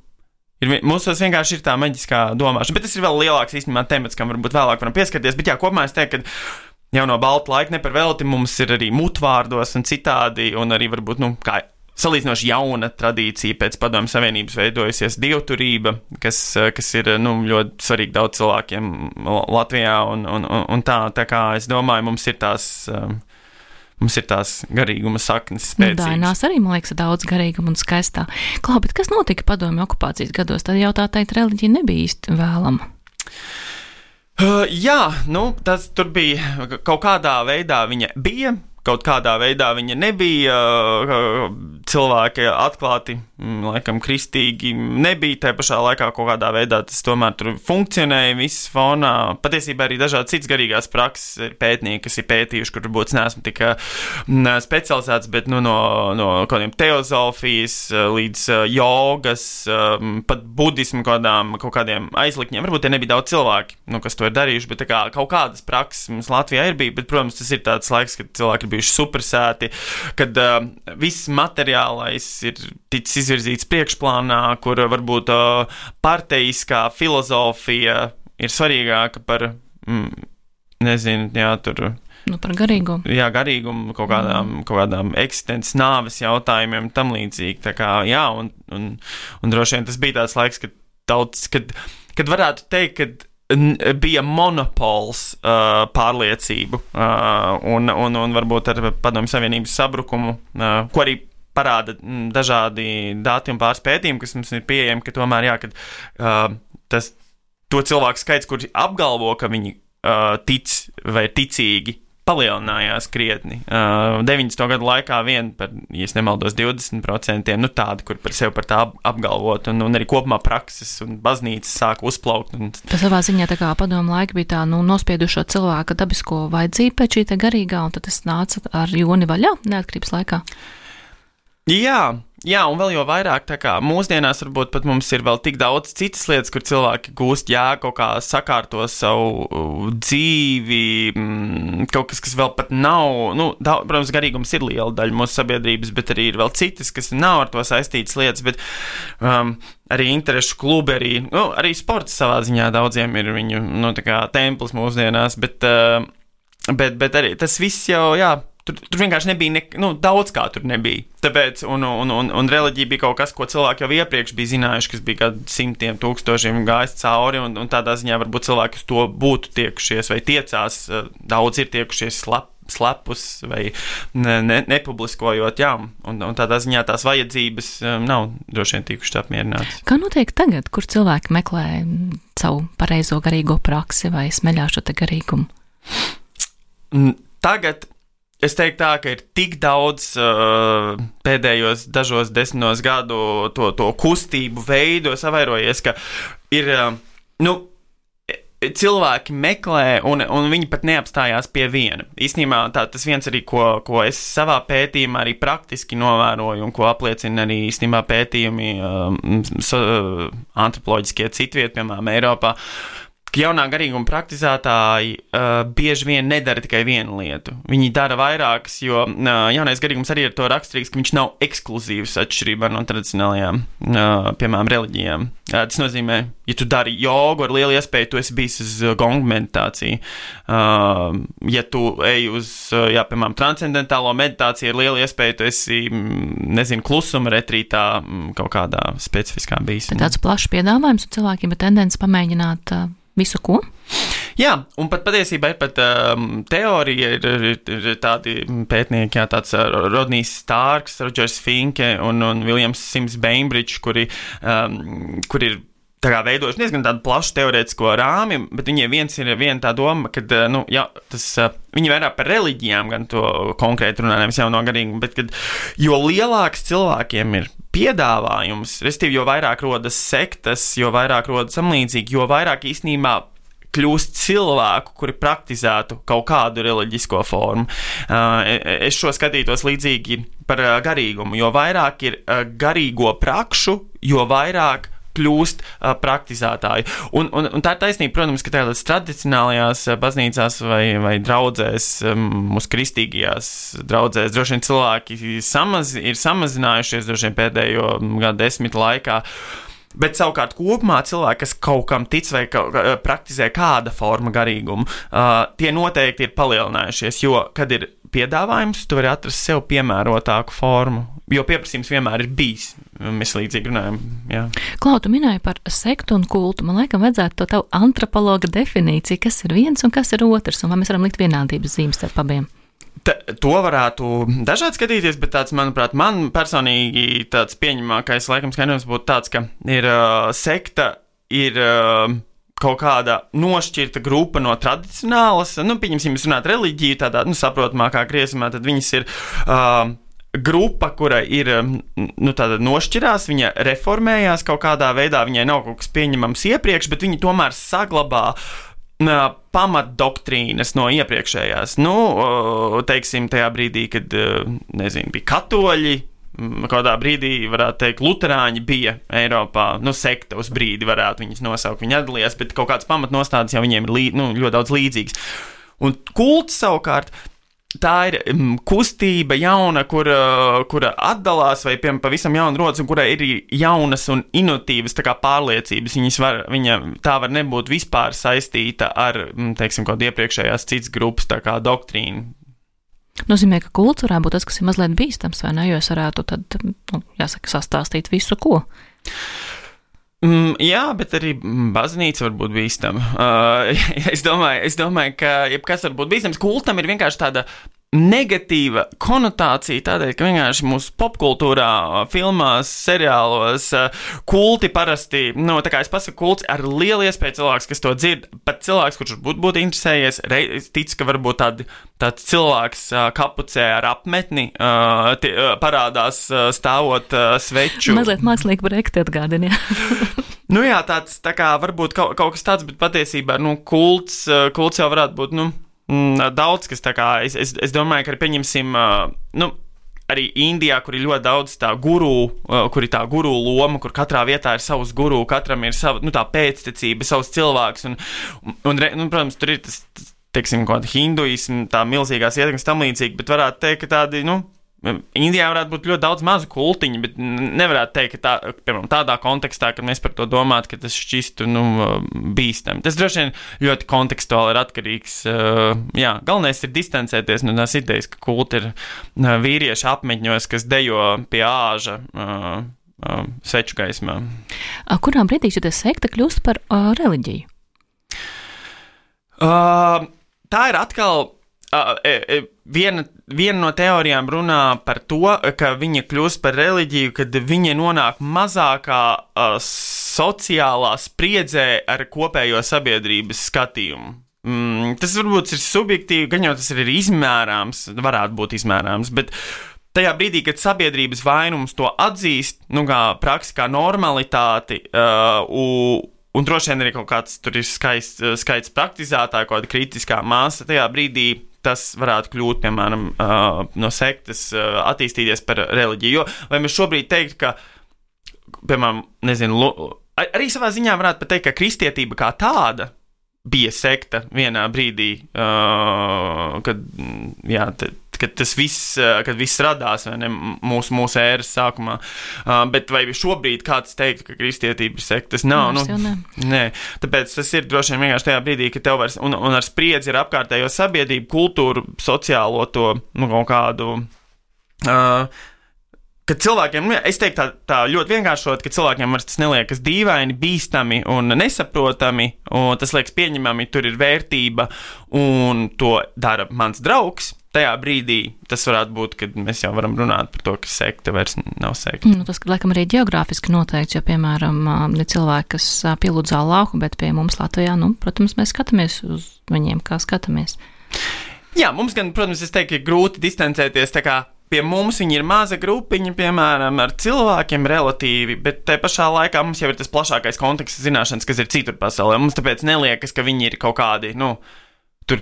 Ir, mūsos vienkārši ir tā maģiskā domāšana, bet tas ir vēl lielāks īstenībā temats, kam varbūt vēlāk varam pieskarties, bet jā, kopumā es teiktu, ka jau no balta laika ne par velti mums ir arī mutvārdos un citādi, un arī varbūt, nu, kā salīdzinoši jauna tradīcija pēc Padomju Savienības veidojusies dievturība, kas, kas ir, nu, ļoti svarīgi daudz cilvēkiem Latvijā, un, un, un tā, tā kā es domāju, mums ir tās... Mums ir tās garīguma saknes spēcīgas. Nu, Dainās arī, man liekas, daudz garīguma un skaistā. Klau, bet kas notika Padomju okupācijas gados? Tad jau tā teikt, reliģija nebija īsti vēlama. Uh, jā, nu, tas tur bija, kaut kādā veidā viņa bija, kaut kādā veidā viņa nebija, cilvēki atklāti, laikam, kristīgi nebija, tajā pašā laikā kaut kādā veidā tas tomēr tur funkcionēja viss fonā. Patiesībā arī dažādi cits garīgās prakses ir pētnieki, kas ir pētījuši, kur varbūt neesmu tik specializēts, bet nu, no, no kādiem teozofijas līdz jogas, pat budismu kādām, kaut kādiem aizlikņiem. Varbūt te nebija daudz cilvēki, nu, kas to ir darījuši, bet tā kā kaut kādas prakses mums Latvijā ir bija, bet, protams, tas ir tāds laiks, kad cilvēki bijuši supersēti, kad uh, viss materiālais ir ticis izvirzīts priekšplānā, kur varbūt uh, parteiskā filozofija ir svarīgāka par, mm, nezinu, jā, tur... Nu, par garīgumu. Jā, garīgumu, kaut kādām, mm. kaut kādām eksistences nāves jautājumiem, tam līdzīgi. Tā kā, jā, un, un, un droši vien tas bija tāds laiks, kad tauts, kad, kad varētu teikt, kad bija monopols uh, pārliecību uh, un, un, un varbūt ar Padomju Savienības sabrukumu, uh, ko arī parāda m, dažādi dati un pāris pētījumi, kas mums ir pieejami, ka tomēr jā, kad uh, tas, to cilvēku skaits, kuri apgalvo, ka viņi uh, tic vai ticīgi palielinājās krietni. Uh, deviņdesmito gadu laikā vien par, ja es nemaldos, divdesmit procenti, nu tādi, kur par sevi par tā apgalvot, un, un arī kopumā prakses un baznīcas sāka uzplaukt. Un... Tas savā ziņā tā kā padomu laika bija tā, nu, nospiedušo cilvēka dabisko vajadzību pēc šī te garīgā, un tad tas nāca ar joni vaļā neatkarības laikā. Jā, jā, un vēl jau vairāk, tā kā mūsdienās varbūt pat mums ir vēl tik daudz citas lietas, kur cilvēki gūst jēgu, kaut kā sakārto savu dzīvi, kaut kas, kas vēl pat nav, nu, daudz, protams, garīgums ir liela daļa mūsu sabiedrības, bet arī ir vēl citas, kas nav ar to saistītas lietas, bet um, arī interešu klubi, arī, nu, arī sports savā ziņā daudziem ir viņu, nu, tā kā templis mūsdienās, bet, uh, bet, bet arī tas viss jau, jā, Tur, tur vienkārši nebija, ne, nu, daudz kā tur nebija. Tāpēc, un, un, un, un reliģija bija kaut kas, ko cilvēki jau iepriekš bija zinājuši, kas bija kādi simtiem tūkstošiem gājis cauri, un, un tādā ziņā varbūt cilvēki uz to būtu tiekušies vai tiecās, daudz ir tiekušies slap, slepus vai ne, ne, nepubliskojot, jā, un, un tādā ziņā tās vajadzības nav droši vien tikušas apmierinātas. Kā notiek tagad, kur cilvēki meklē savu pareizo garīgo praksi vai smeļā šo te garīgumu? Tagad es teiktu tā, ka ir tik daudz uh, pēdējos dažos desmitos gadu to, to kustību veidu savairojies, ka ir, uh, nu, cilvēki meklē un, un viņi pat neapstājās pie viena. Īstenībā tā, tas viens arī, ko, ko es savā pētījumā arī praktiski novēroju un ko apliecina arī īstenībā pētījumi uh, so, uh, antropoloģiskie citviet, piemēram, Eiropā, ka jaunā garīguma praktizētāji uh, bieži vien nedara tikai vienu lietu. Viņi dara vairākas, jo uh, jaunais garīgums arī ir to raksturīgs, ka viņš nav ekskluzīvs atšķirībā no tradicionālajām, uh, piemēram, reliģijām. Uh, tas nozīmē, ja tu dari jogu, ar lielu iespēju tu esi bijis uz gongu meditāciju. Uh, ja tu ej uz, uh, jā, piemēram, transcendentālo meditāciju, ar lielu iespēju tu esi, nezinu, klusuma retrītā kaut kādā specifiskā bijis. Tāds plašs piedāvājums un cilvēkiem ir tendence pamēģināt uh, visu ko? Jā, un pat patiesībā ir pat um, teorija, ir, ir, ir tādi pētnieki, jā, tāds Rodnijs Starks, Rodžers Finke un, un Viljams Sims Bainbridge, kuri, um, kuri ir tā kā veidojuši diezgan tādu plašu teorētisko rāmi, bet viņiem viens ir viena tā doma, ka, nu, jā, tas, viņi vairāk par reliģijām gan to konkrēti runā, nevis jauno garīgumu, bet, kad, jo lielāks cilvēkiem ir piedāvājums, respektīvi, jo vairāk rodas sektas, jo vairāk rodas samlīdzīgi, jo vairāk īstenībā kļūst cilvēku, kuri praktizētu kaut kādu reliģisko formu. Es šo skatītos līdzīgi par garīgumu, jo vairāk ir garīgo prakšu, jo vairāk kļūst uh, praktizētāji. Un, un, un tā ir taisnība, protams, ka tādās tradicionālajās baznīcās vai, vai draudzēs, um, mūsu kristīgajās draudzēs, droši vien cilvēki samaz, ir samazinājušies droši vien pēdējo gadu desmit laikā. Bet savukārt kopumā cilvēki, kas kaut kam tic vai ka, praktizē kāda forma garīgumu, uh, tie noteikti ir palielinājušies, jo, kad ir piedāvājums, tu vari atrast sev piemērotāku formu, jo pieprasījums vienmēr ir bijis. Mēs līdzīgi runājam, jā. Klau, tu minēji par sektu un kultu. Man laikam vajadzētu to tavu antropologa definīciju, kas ir viens un kas ir otrs, un vai mēs varam likt vienādības zīmes starp abiem? Ta, to varētu dažādi skatīties, bet tāds, manuprāt, man personīgi tāds pieņemākais laikam skaidrojums būtu tāds, ka ir uh, sekta, ir uh, kaut kāda nošķirta grupa no tradicionālas, nu, pieņemsim, jūs runāt reliģiju, tādā, nu, saprotamākā griezumā, tad viņas ir uh, grupa, kura ir, nu, tāda nošķirās, viņa reformējās kaut kādā veidā, viņai nav kaut kas pieņemams iepriekš, bet viņi tomēr saglabā pamatdoktrīnas no iepriekšējās. Nu, teiksim, tajā brīdī, kad, nezinu, bija katoļi, kādā brīdī, varētu teikt, luterāņi bija Eiropā, nu, sekta uz brīdi varētu viņas nosaukt, viņi atdalījās, bet kaut kādas pamatnostādes jau viņiem ir lī, nu, ļoti daudz līdzīgas. Un kults savukārt, tā ir kustība jauna, kura, kura atdalās vai piemēram pavisam jauna rodas un kurai ir jaunas un inovatīvas tā kā pārliecības. Viņas var, viņa tā var nebūt vispār saistīta ar, teiksim, kaut iepriekšējās citas grupas tā kā doktrīnu. Nozīmē, ka kults varētu būt tas, kas ir mazliet bīstams, vai ne, jo es varētu tad, nu, jāsaka, sastāstīt visu, ko. Mm, jā, bet arī baznīca var būt bīstama. Uh, es, domāju, es domāju, ka jebkas var būt bīstams. Kultam ir vienkārši tāda negatīva konotācija tādēļ, ka vienkārši mūsu popkultūrā, filmās, seriālos kulti parasti, nu, tā kā es pasaku kults, ar lielu iespēju cilvēks, kas to dzird, pat cilvēks, kurš būtu būt interesējies, tic, ka varbūt tādi, tāds cilvēks kapucē ar apmetni tie, parādās stāvot sveču. Mazliet mākslīgi projekti atgādina, jā. Nu jā, tāds, tā kā varbūt kaut, kaut kas tāds, bet patiesībā, nu, kults, kults jau varētu būt, nu, daudz, kas tā kā, es, es, es domāju, ka arī pieņemsim, nu, arī Indijā, kur ir ļoti daudz tā guru, kur ir tā guru loma, kur katrā vietā ir savs guru, katram ir sava, nu, tā pēctecība, savs cilvēks, un, un, un, un protams, tur ir tas, teiksim, kaut kāda hinduismu, tā milzīgās ietekmes tam līdzīgi, bet varētu teikt, ka tādi, nu, Indijā varētu būt ļoti daudz mazu kultiņu, bet nevarētu teikt, ka tā, piemēram, tādā kontekstā, kad mēs par to domātu, ka tas šķistu, nu, bīstami. Tas droši vien ļoti kontekstuāli ir atkarīgs. Jā, galvenais ir distancēties no tās idejas, ka kulti ir vīrieši apmetņos, kas dejo pie āža sveču gaismā. Kurā brīdī šī sekta kļūst par uh, reliģiju? Uh, tā ir atkal... Uh, uh, viena, viena no teorijām runā par to, ka viņa kļūst par reliģiju, kad viņa nonāk mazākā uh, sociālā spriedzē ar kopējo sabiedrības skatījumu. Mm, tas varbūt ir subjektīvi, gan jau tas ir izmērāms, varētu būt izmērāms, bet tajā brīdī, kad sabiedrības vainums to atzīst, nu kā praksi, kā normalitāti, uh, u, un droši vien arī kaut kāds tur ir skaists, skaists praktizētāji, kaut kāda kritiskā māsa, tajā brīdī tas varētu kļūt, piemēram, uh, no sektas uh, attīstīties par reliģiju. Jo, vai mēs šobrīd teikt, ka, piemēram, nezinu, lo, arī savā ziņā varētu pat teikt, ka kristietība kā tāda bija sekta vienā brīdī, uh, kad, jā, t- kad tas viss, kad viss radās, vai ne, mūsu, mūsu ēras sākumā. Uh, bet vai šobrīd kāds teikt, ka kristietība ir sekta? Tas nav, nu, ne. Nē. Tāpēc tas ir droši vien vienkārši tajā brīdī, ka tev vairs, un, un ar spriedzi ir apkārtējo sabiedrību, kultūru, sociālo to, nu, kaut kādu, uh, kad cilvēkiem, es teiktu tā, tā ļoti vienkāršot, ka cilvēkiem vairs tas neliekas dīvaini, bīstami un nesaprotami, un tas liekas pieņemami, tur ir vērtība, un to dara mans draugs. Tajā brīdī tas varētu būt, kad mēs jau varam runāt par to, ka sekta vairs nav sekta. Nu, tas, laikam, arī ģeogrāfiski noteikts, jo, piemēram, ir cilvēki, kas pielūdz Allahu, bet pie mums Latvijā, nu, protams, mēs skatāmies uz viņiem, kā skatāmies. Jā, mums gan, protams, es teiktu, ka grūti distancēties, tā kā pie mums viņi ir maza grupiņa, piemēram, ar cilvēkiem relatīvi, bet te pašā laikā mums jau ir tas plašākais konteksts zināšanas, kas ir citur pasaulē. Mums tāpēc neliekas, ka viņi ir kaut kādi, nu, tur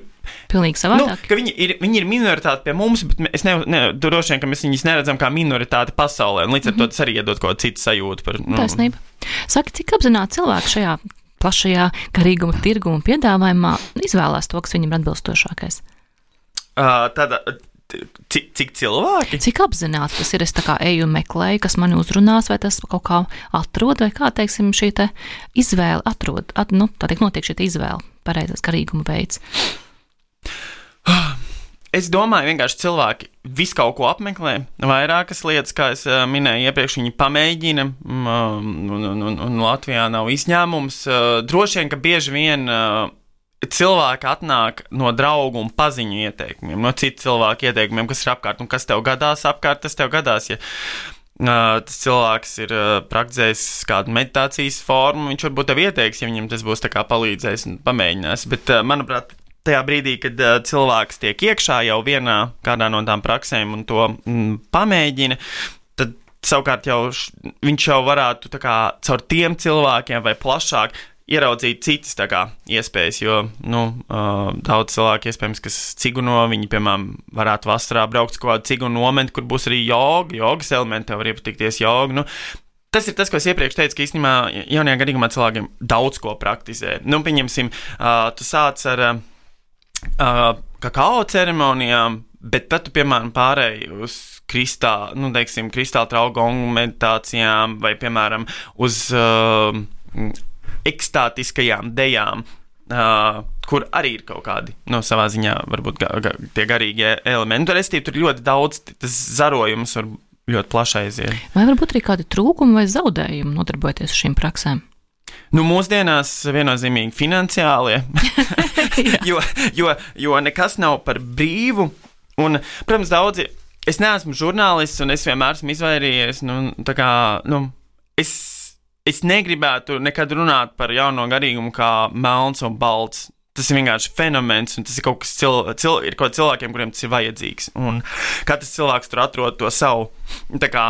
pilnīgi savādāk. Nu, ka viņi ir, viņi ir minoritāti pie mums, bet es ne, ne, droši vien, ka mēs viņus neredzam kā minoritāti pasaulē, un līdz ar mm-hmm. to tas arī iedod kaut kādu citu sajūtu par... Nu. Taisnība. Saki, cik apzināti cilvēki šajā plašajā garīguma tirgu un piedāvājumā izvēlās to, kas viņam ir atbilstošākais? Uh, tāda, cik, cik cilvēki? Cik apzināti tas ir? Es tā kā eju un meklēju, kas mani uzrunās, vai tas kaut kā atrod, vai kā, teiksim, šī te izvēle atrod, at, nu, tā tiek notiek šī te izvēle, pareizais garīguma veids. Es domāju, vienkārši cilvēki visu kaut ko apmeklē, vairākas lietas, kā es uh, minēju iepriekš, viņi pamēģina, um, un, un, un Latvijā nav izņēmums. Uh, droši vien, ka bieži vien uh, cilvēki atnāk no draugu un paziņu ieteikumiem, no citu cilvēku ieteikumiem, kas ir apkārt, un kas tev gadās apkārt, tas tev gadās, ja uh, tas cilvēks ir uh, praktizējis kādu meditācijas formu, viņš varbūt tev ieteiks, ja viņam tas būs tā kā palīdzējis un pamēģinās, bet, uh, manuprāt, tajā brīdī, kad uh, cilvēks tiek iekšā jau vienā kādā no tām praksēm un to mm, pamēģina, tad savukārt jau š, viņš jau varētu tā kā caur tiem cilvēkiem vai plašāk ieraudzīt citas tā kā iespējas, jo, nu, uh, daudz cilvēku iespējams, kas ciguno, viņi, piemēram, varētu vasarā braukt uz kaut kādu cigunu nometni, kur būs arī joga, jogas elementi, tev var iepatikties joga, nu, tas ir tas, ko es iepriekš teicu, ka īstenībā jaunajā gadījumā cilvēkiem daudz ko praktizē. Nu, pieņemsim, uh, tu sāc ar uh, Uh, kakao ceremonijām, bet tad tu, piemēram, pārēji uz kristāla, nu, teiksim, kristāla traugongu meditācijām vai, piemēram, uz uh, ekstātiskajām dejām, uh, kur arī ir kaut kādi, nu, savā ziņā, varbūt ga, ga, tie garīgie elementi. Restīvi, tur ļoti daudz, tas zarojums var ļoti plaši aiziet. Vai varbūt arī kādi trūkumi vai zaudējumi nodarbojoties ar šīm praksēm? Nu, mūsdienās viennozīmīgi finansiālie, jo, jo, jo nekas nav par brīvu, Un, protams, daudzi, es neesmu žurnālists, un es vienmēr esmu izvairījies, nu, tā kā, nu, es, es negribētu nekad runāt par jauno garīgumu kā melns un balts. Tas ir vienkārši fenomens, un tas ir kaut kas cil, cil, ir kaut cilvēkiem, kuriem tas ir vajadzīgs. Un katrs cilvēks tur atrod to savu tā kā,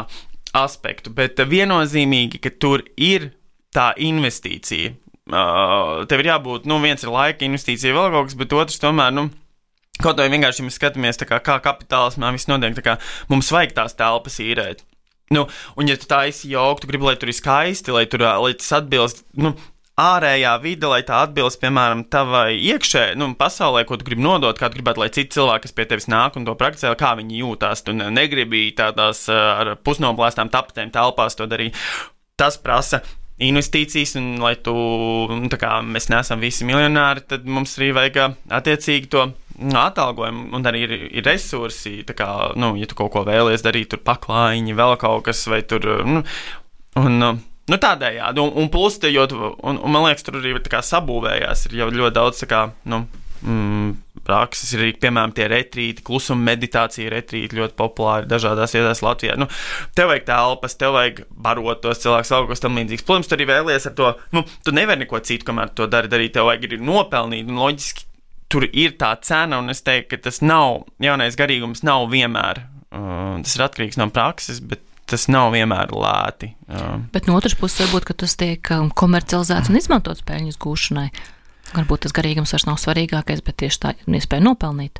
aspektu, bet viennozīmīgi, ka tur ir tā investīcija. Uh, tev ir jābūt, nu, viens ir laika investīcija, vēl kaut kas, bet otrs tomēr, nu, kaut vai vienkārši mēs skatāmies, tā kā, kā kapitālismā viss notiek, tā kā mums vajag tās telpas īrēt. Nu, un ja tu tā esi jauka, tu gribi, lai tur ir skaisti, lai tur, lai tas atbilst, nu, ārējā vide, lai tā atbilst, piemēram, tavai iekšē, nu, pasaulē, ko tu gribi nodot, kā tu gribētu, lai citi cilvēki, kas pie tevis nāk un to prakticē, kā viņi jūtās, tu negribi tādās ar pusnoplēstām tapetēm telpās to darīt. Tas prasa investīcijas, un lai tu, tā kā mēs neesam visi miljonāri, tad mums arī vajag attiecīgi to atalgojumu, un arī ir, ir resursi, tā kā, nu, ja tu kaut ko vēlies darīt, tur paklājiņi, vēl kaut kas, vai tur, nu, un, nu, tādējādi, un, un plus, te, jo, un, un man liekas, tur arī tā kā sabūvējās, ir jau ļoti daudz, tā kā, nu, mm, prakses, ir arī, piemēram, tie retrīti, klusuma meditācija retrīti ļoti populāri dažādās vietās Latvijā. Nu, tev vajag telpas, tev vajag barot tos cilvēkus, vēl kaut tam līdzīgs. Protams, tu arī vēlies ar to, nu, tu nevari neko citu, kamēr to dari, darīt, tev vajag arī nopelnīt, un loģiski tur ir tā cena, un es teiktu, ka tas nav, jaunais garīgums nav vienmēr, uh, tas ir atkarīgs no prakses, bet tas nav vienmēr lēti. Uh. Bet no otras puses varbūt, ka tas tiek komercializēts un izmantots peļņas gūšanai. Varbūt tas garīgums vairs nav svarīgākais, bet tieši tā ir iespēja nopelnīt.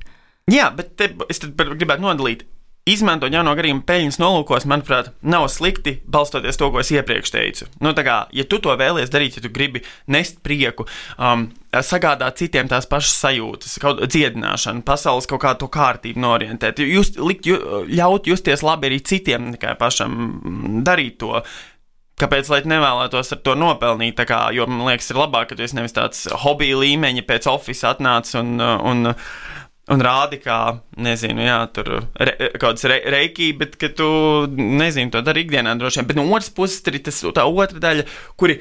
Jā, bet te, es tad gribētu nodalīt. Izmantot jauno garīgumu peļņas nolūkos, manuprāt, nav slikti, balstoties to, ko es iepriekš teicu. Nu, tā kā, ja tu to vēlies darīt, ja tu gribi nest prieku, um, sagādāt citiem tās pašas sajūtas, kaut dziedināšanu, pasaules kaut kādu to kārtību norientēt, just, likt, ju, ļaut justies labi arī citiem, tikai pašam darīt to. Kāpēc, lai nevēlētos ar to nopelnīt, tā kā, jo, man liekas, ir labāk, ka tu esi nevis tāds hobija līmeņa pēc office atnāc un, un, un rādi kā, nezinu, jā, tur re, kāds re, reikī, bet, ka tu, nezinu, to dari ikdienā droši vien. Bet no otras puses ir tas, tā otra daļa, kuri,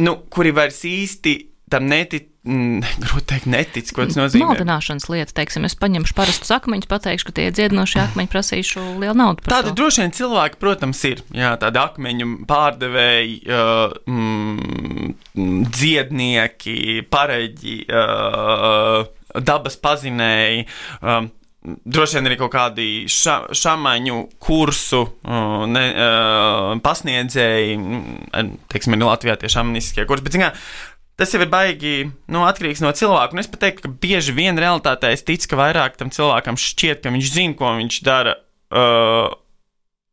nu, kuri vairs īsti tam netic, mm, grūti teikt, netic, ko tas nozīmē. Maldināšanas lieta, teiksim, es paņemšu parastus akmeņus, pateikšu, ka tie dziedinošie akmeņi prasīšu lielu naudu par tādi to. Droši vien cilvēki, protams, ir, jā, tādi akmeņu pārdevēji, uh, mm, dziednieki, pareģi, uh, dabas pazinēji, um, droši vien arī kaut kādi ša, šamaņu kursu uh, ne, uh, pasniedzēji, teiksim, ir Latvijā tie šamanistiskie kursi, bet, zin kā, tas jau ir baigi, nu, atkarīgs no cilvēka, un es pat teiktu, ka bieži vien realitātē es ticu, ka vairāk tam cilvēkam šķiet, ka viņš zina, ko viņš dara, uh,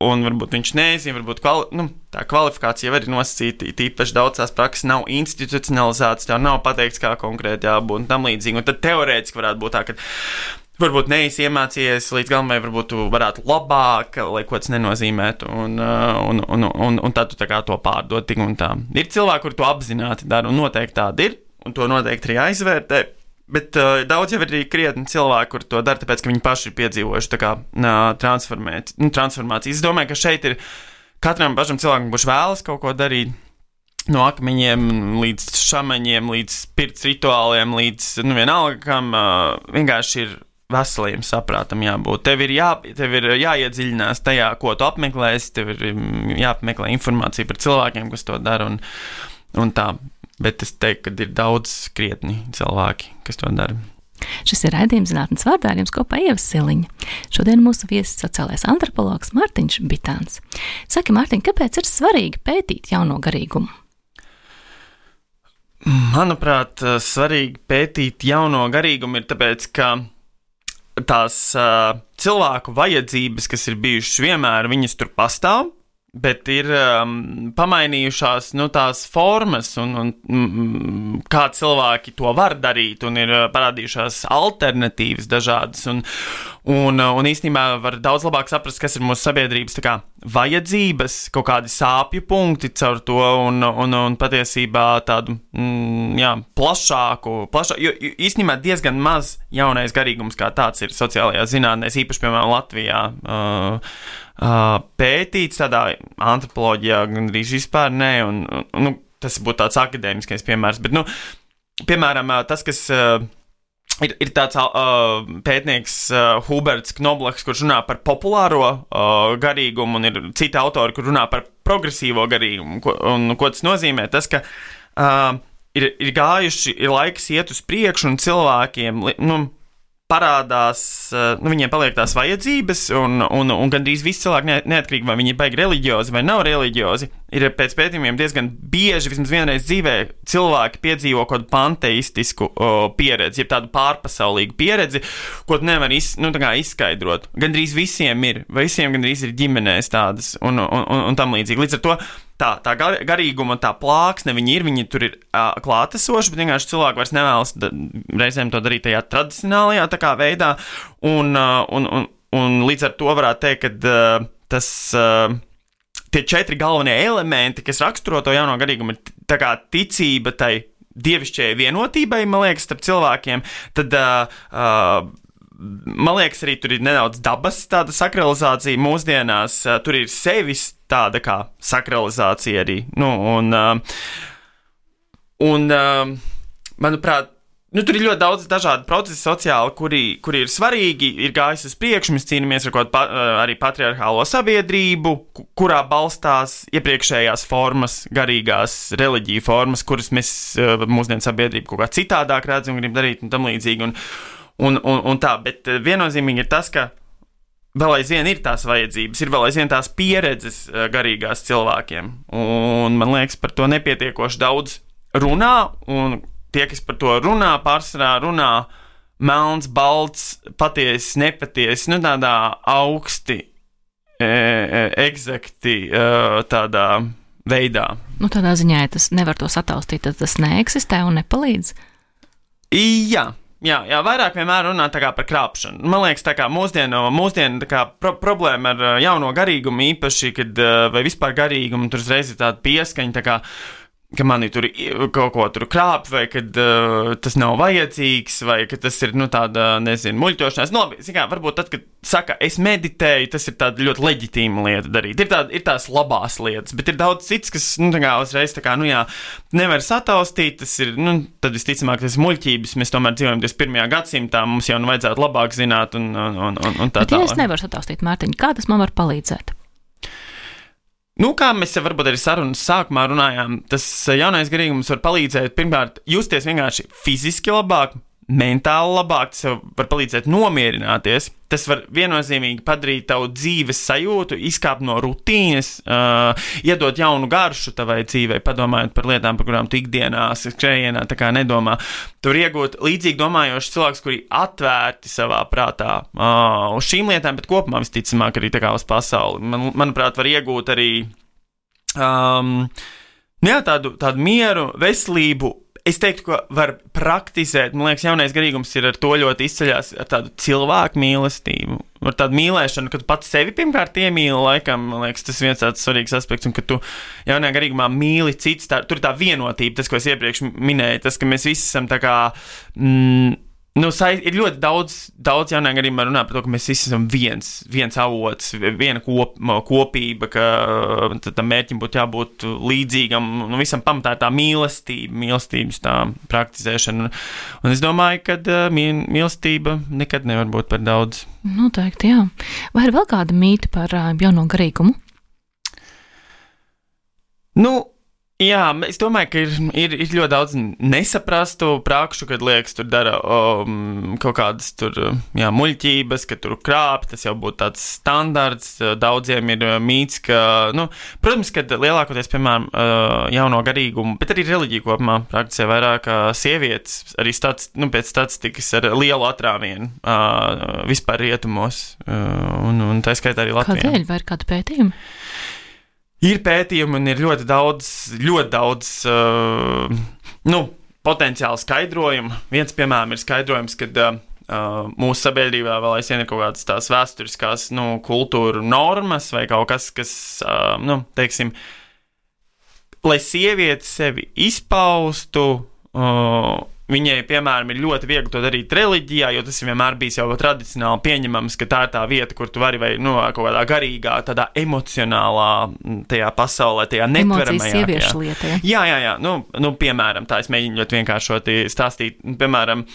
un varbūt viņš nezina, varbūt kvali, nu, tā kvalifikācija jau ir nosacīta, tīpaši daudz tās prakses nav institucionalizētas, tev nav pateikts, kā konkrēti jābūt un tam līdzīgi, un tad teorētiski varētu būt tā, ka varbūt neesi iemācījies līdz galam, vai varbūt tu varētu labāk, lai ko tas nenozīmētu, un, un, un, un, un tad tu tā kā to pārdod tik un tā. Ir cilvēki, kuri to apzināti dara, un noteikti tādi ir, un to noteikti arī aizvērtē, bet uh, daudz jau ir arī krietni cilvēki, kuri to dara, tāpēc, ka viņi paši ir piedzīvojuši tā kā uh, transformāciju. Es domāju, ka šeit ir katram pašam cilvēkam, kurš vēlas kaut ko darīt, no akmeņiem līdz šamaņiem, līdz pirts rituāliem, līdz, nu, vienalga, kam uh, vienkārši ir veseliem saprātam jābūt. Tev ir, jā, tev ir jāiedziļinās tajā, ko tu apmeklēsi, tev ir jāapmeklē informācija par cilvēkiem, kas to dara, un, un tā. Bet es teiktu, ka ir daudz krietni cilvēki, kas to dara. Šis ir raidījums Zinātnes vārdā, ar jums kopā Ieva Siliņa. Šodien mūsu viesis sociālais antropologs Mārtiņš Bitāns. Saki, Mārtiņ, kāpēc ir svarīgi pētīt jauno garīgumu? Manuprāt, svarīgi pētīt jauno garīgumu ir tāpēc, ka tās uh, cilvēku vajadzības, kas ir bijušas vienmēr, viņas tur pastāv, bet ir um, pamainījušās, nu, tās formas un, un mm, kā cilvēki to var darīt, un ir uh, parādījušās alternatīvas dažādas, un, un, un īstenībā var daudz labāk saprast, kas ir mūsu sabiedrības tā kā vajadzības, kaut kādi sāpju punkti caur to, un, un, un patiesībā tādu, mm, jā, plašāku, plašāku, jo īstenībā diezgan maz jaunais garīgums kā tāds ir sociālajās zinātnēs, īpaši, piemēram, Latvijā, uh, Uh, pētīts tādā antropoloģijā gandrīz vispār nē, un, un, un nu, tas būtu tāds akadēmiskais piemērs, bet, nu, piemēram, tas, kas uh, Ir, ir tāds uh, pētnieks uh, Huberts Knoblachs, kurš runā par populāro uh, garīgumu, un ir citi autori, kur runā par progresīvo garīgumu. Ko, un ko tas nozīmē? Tas, ka uh, ir, ir gājuši, ir laiks iet uz priekšu, un cilvēkiem nu, parādās, uh, nu, viņiem paliek tās vajadzības, un, un, un gandrīz visi cilvēki, neatkarīgi vai viņi ir baigi reliģiozi vai nav reliģiozi, ir pēc pētījumiem diezgan bieži, vismaz vienreiz dzīvē, cilvēki piedzīvo kaut kādu panteistisku o, pieredzi, jeb tādu pārpasaulīgu pieredzi, ko tu nevar iz, nu, tā kā izskaidrot. Gandrīz visiem ir, vai visiem gandrīz ir ģimenēs tādas un, un, un, un tam līdzīgi. Līdz ar to tā, tā garīguma, tā plāksne, viņi ir, viņi tur ir uh, klātesoši, bet vienkārši cilvēki vairs nevēlas da, reizēm to darīt tajā tradicionālajā tā kā veidā, un, uh, un, un, un līdz ar to varētu teikt, ka uh, tas... Uh, Tie četri galvenie elementi, kas raksturo to jauno garīgumu, ir tā kā ticība tai dievišķajai vienotībai, man liekas, starp cilvēkiem, tad, uh, uh, man liekas, arī tur ir nedaudz dabas tāda sakralizācija mūsdienās, uh, tur ir sevis tāda kā sakralizācija arī, nu, un, uh, un uh, manuprāt, nu, tur ir ļoti daudz dažādu procesu sociāli, kuri, kuri ir svarīgi, ir gājis uz priekšu, mēs cīnāmies ar kaut pa, arī patriarchālo sabiedrību, kurā balstās iepriekšējās formas, garīgās reliģiju formas, kuras mēs mūsdienu sabiedrību kaut kā citādāk redzam un grib darīt un tam līdzīgi. Un, un, un, un tā, bet viennozīmīgi ir tas, ka vēl aizvien ir tās vajadzības, ir vēl aizvien tās pieredzes garīgās cilvēkiem. Un man liekas, par to nepietiekoši daudz runā, un tie, kas par to runā, pārsvarā runā melns, balts, patiesi, nepatiesi, nu tādā augsti, e, e, eksakti, e, tādā veidā. Nu tādā ziņā, ja tas nevar to sataustīt, tad tas neeksistē un nepalīdz? Jā. Jā, jā, vairāk vienmēr runā tā kā par krāpšanu. Man liekas, tā kā mūsdienu, mūsdienu tā kā pro- problēma ar jauno garīgumu īpaši, kad, vai vispār garīgumu, tur uzreiz ir tāda pieskaņa, tā kā ka mani tur kaut ko tur krāp, vai kad uh, tas nav vajadzīgs, vai ka tas ir, nu, tāda, nezinu, muļķošanās. Nu, labi, kā, varbūt tad, kad saka, es meditēju, tas ir tāda ļoti leģitīma lieta darīt. Ir, tāda, ir tās labās lietas, bet ir daudz cits, kas, nu, tā kā uzreiz, tā kā, nu, jā, nevar sataustīt, tas ir, nu, tad visticamāk, tas ir muļķības, mēs tomēr dzīvojam divdesmit pirmajā gadsimtā, mums jau nu vajadzētu labāk zināt un, un, un, un tā tālāk. Bet ja es nevaru sataustīt, Mārtiņ, kā tas man var palīdzēt? Nu, kā mēs jau varbūt arī sarunas sākumā runājām, tas jaunais garīgums var palīdzēt, pirmkārt, justies vienkārši fiziski labāk, mentāli labāk, tas var palīdzēt nomierināties, tas var viennozīmīgi padarīt tavu dzīves sajūtu, izkāpt no rutīnas, uh, iedot jaunu garšu tavai dzīvei, padomājot par lietām, par kurām tu ikdienā, skrējienā, tā kā nedomā. Tu var iegūt līdzīgi domājošs cilvēks, kuri atvērti savā prātā uh, uz šīm lietām, bet kopumā visticamāk arī tā kā uz pasauli. Man, manuprāt, var iegūt arī um, jā, tādu, tādu mieru, veselību. Es teiktu, ka var praktizēt, man liekas, jaunais garīgums ir ar to ļoti izceļās, ar tādu cilvēku mīlestību, ar tādu mīlēšanu, ka tu pats sevi pirmkārt iemīli, laikam, man liekas, tas viens tāds svarīgs aspekts, un ka tu jaunajā garīgumā mīli cits, tā, tur ir tā vienotība, tas, ko es iepriekš minēju, tas, ka mēs visi esam tā kā, mm, nu, ir ļoti daudz, daudz jaunajā garīgumā runā par to, ka mēs visi esam viens, viens avots, viena kop, kopība, ka tam mērķim būtu jābūt līdzīgam, nu, visam pamatā ir tā mīlestība, mīlestības tā praktizēšana, un es domāju, ka mīlestība nekad nevar būt par daudz. Noteikti, jā. Vai ir vēl kāda mīta par jauno garīgumu? Nu, jā, es domāju, ka ir, ir, ir ļoti daudz nesaprastu prakšu, kad liekas, tur dara um, kaut kādas tur, jā, muļķības, ka tur krāp, tas jau būtu tāds standarts, daudziem ir mīts, ka, nu, protams, kad lielākoties, piemēram, jauno garīgumu, bet arī reliģiju kopumā praktizē vairāk sievietes, arī stats, nu, pēc statistikas ar lielu atrāvienu uh, vispār rietumos, uh, un, un tā skaitā arī Latvijā. Kādēļ, vai ir kāda pētījuma? Ir pētījumi un ir ļoti daudz, ļoti daudz uh, nu, potenciāli skaidrojumu. Viens, piemēram, ir skaidrojums, ka uh, mūsu sabiedrībā vēl aizvien ir kaut kādas tās vēsturiskās, nu, kultūru normas vai kaut kas, kas, uh, nu, teiksim, lai sieviete sevi izpaustu, uh, viņai, piemēram, ir ļoti viegli to darīt reliģijā, jo tas vienmēr bijis jau tradicionāli pieņemams, ka tā ir tā vieta, kur tu vari vai, nu, kaut kādā garīgā, tādā emocionālā tajā pasaulē, tajā netveramajā. Emocijas sieviešu lieta, ja? Jā, jā, jā. Nu, nu, piemēram, tā es mēģinu ļoti vienkāršoti stāstīt. Piemēram,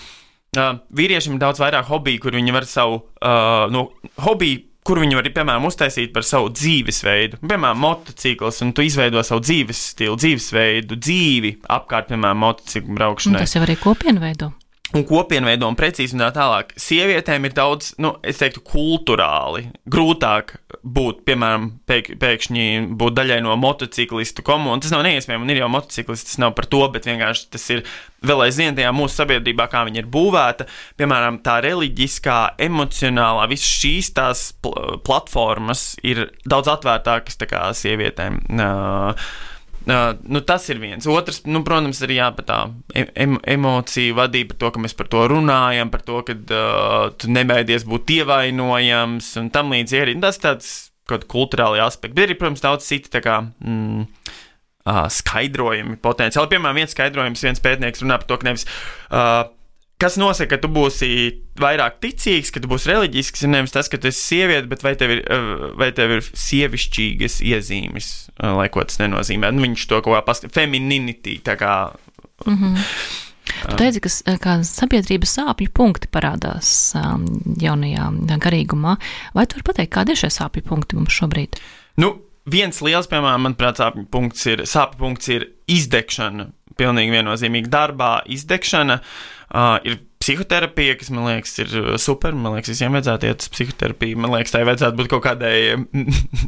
uh, vīriešiem ir daudz vairāk hobiju, kur viņi var savu uh, no hobiju, kur viņi var, piemēram, uztaisīt par savu dzīvesveidu. Piemēram, motocikls, un tu izveido savu dzīves stilu, dzīvesveidu, dzīvi apkārt, piemēram, motociklu braukšanai. Un tas jau arī kopienu veido. Un kopienveido un precīzi un tā tālāk. Sievietēm ir daudz, nu, es teiktu, kulturāli grūtāk būt, piemēram, pēk, pēkšņi būt daļai no motociklistu komunas. Tas nav neiespējami, un ir jau motociklisti, tas nav par to, bet vienkārši tas ir vēl aizvien tajā mūsu sabiedrībā, kā viņa ir būvēta. Piemēram, tā reliģiskā, emocionālā, visas šīs tās pl- platformas ir daudz atvērtākas tā kā sievietēm. Uh, Uh, nu, tas ir viens. Otrs, nu, protams, arī jā, par tā em, emociju vadību, par to, ka mēs par to runājam, par to, ka uh, tu nebaidies būt ievainojams un tam līdzīgi arī. Tas tāds kaut kulturāli aspekti. Bet arī, protams, daudz citi tā kā mm, uh, skaidrojumi potenciāli. Piemēram, viens skaidrojums, viens pētnieks runā par to, ka nevis uh, kas nosaka, ka tu būsi vairāk ticīgs, ka tu būsi reliģisks, ir nevis tas, ka tu esi sieviete, bet vai tev ir, vai tev ir sievišķīgas iezīmes, lai ko tas nenozīmē. Nu, viņš to kaut kā paskatīt, femininity, tā kā. Mm-hmm. Tu teici, ka kā sabiedrības sāpju punkti parādās um, jaunajā garīgumā. Vai tu vari pateikt, kādi ir šie sāpju punkti mums šobrīd? Nu, viens liels, piemēram, manuprāt, sāpju punkts ir, sāpju punkts ir izdegšana. Pilnīgi viennozīmīgi darbā izdegšana. Uh, ir psihoterapija, kas, man liekas, ir super. Man liekas, visiem vajadzētu iet uz psihoterapiju. Man liekas, tai vajadzētu būt kaut kādai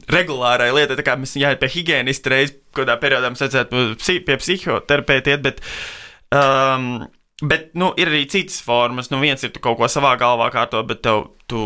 regulārai lietai. Tā kā mēs jāiet pie higienista reiz, kādā periodā mums vajadzētu pie psihoterapeita iet, bet, um, bet, nu, ir arī citas formas. Nu, viens ir tu kaut ko savā galvā kārto, bet tev, tu,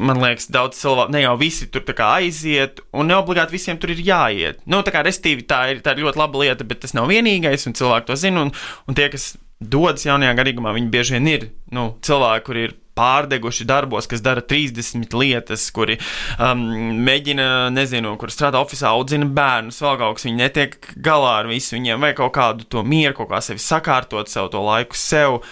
man liekas, daudz cilvēku, ne jau visi tur tā kā aiziet, un neobligāti visiem tur ir jāiet. Nu, tā kā restīvi tā ir, tā ir ļoti laba lieta, bet tas nav vienīgais, un cilvēki to zina, un, un tie, kas dodas jaunajā garīgumā, viņi bieži vien ir, nu, cilvēki, kuri ir pārdeguši darbos, kas dara trīsdesmit lietas, kuri um, mēģina, nezinu, kur strādā ofisā, audzina bērnus, vēl kaut kas, viņi netiek galā ar visu, viņiem vajag kaut kādu to mieru, kaut kā sevi sakārtot, sev to laiku sev.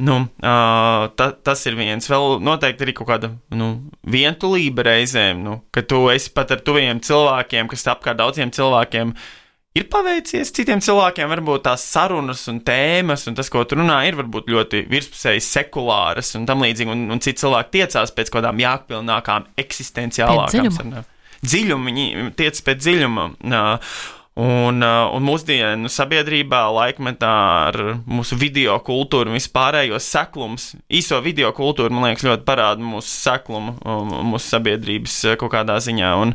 Nu, uh, ta, tas ir viens. Vēl noteikti arī kaut kāda, nu, vientulība reizēm, nu, ka tu esi pat ar tuviem cilvēkiem, kas apkārt daudziem cilvēkiem ir paveicies, citiem cilvēkiem varbūt tās sarunas un tēmas, un tas, ko tu runā, ir varbūt ļoti virspusēji sekulāras un tam līdzīgi, un, un citi cilvēki tiecās pēc kādām jākpilnākām eksistenciālākām sarunām. Dziļumu, viņi tiec pēc dziļuma. Uh, Un, un mūsdienu sabiedrībā, laikmetā ar mūsu video kultūru un vispārējos seklums, īso video kultūru, man liekas, ļoti parāda mūsu seklumu, mūsu sabiedrības kaut kādā ziņā. Un,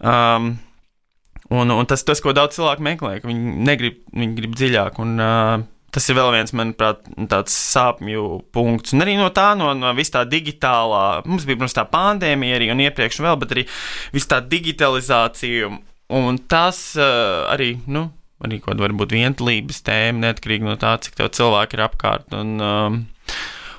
um, un, un tas, tas, ko daudz cilvēku meklē, ka viņi negrib, viņi grib dziļāk. Un, uh, tas ir vēl viens, manuprāt, tāds sāpju punkts. Un arī no tā, no, no vis tā digitālā, mums bija, protams, tā pandēmija arī un iepriekš vēl, bet arī vis tā digitalizācija. Un tas uh, arī, nu, arī kaut var būt vientulības tēma, neatkarīgi no tā, cik tev cilvēki ir apkārt. Un, um,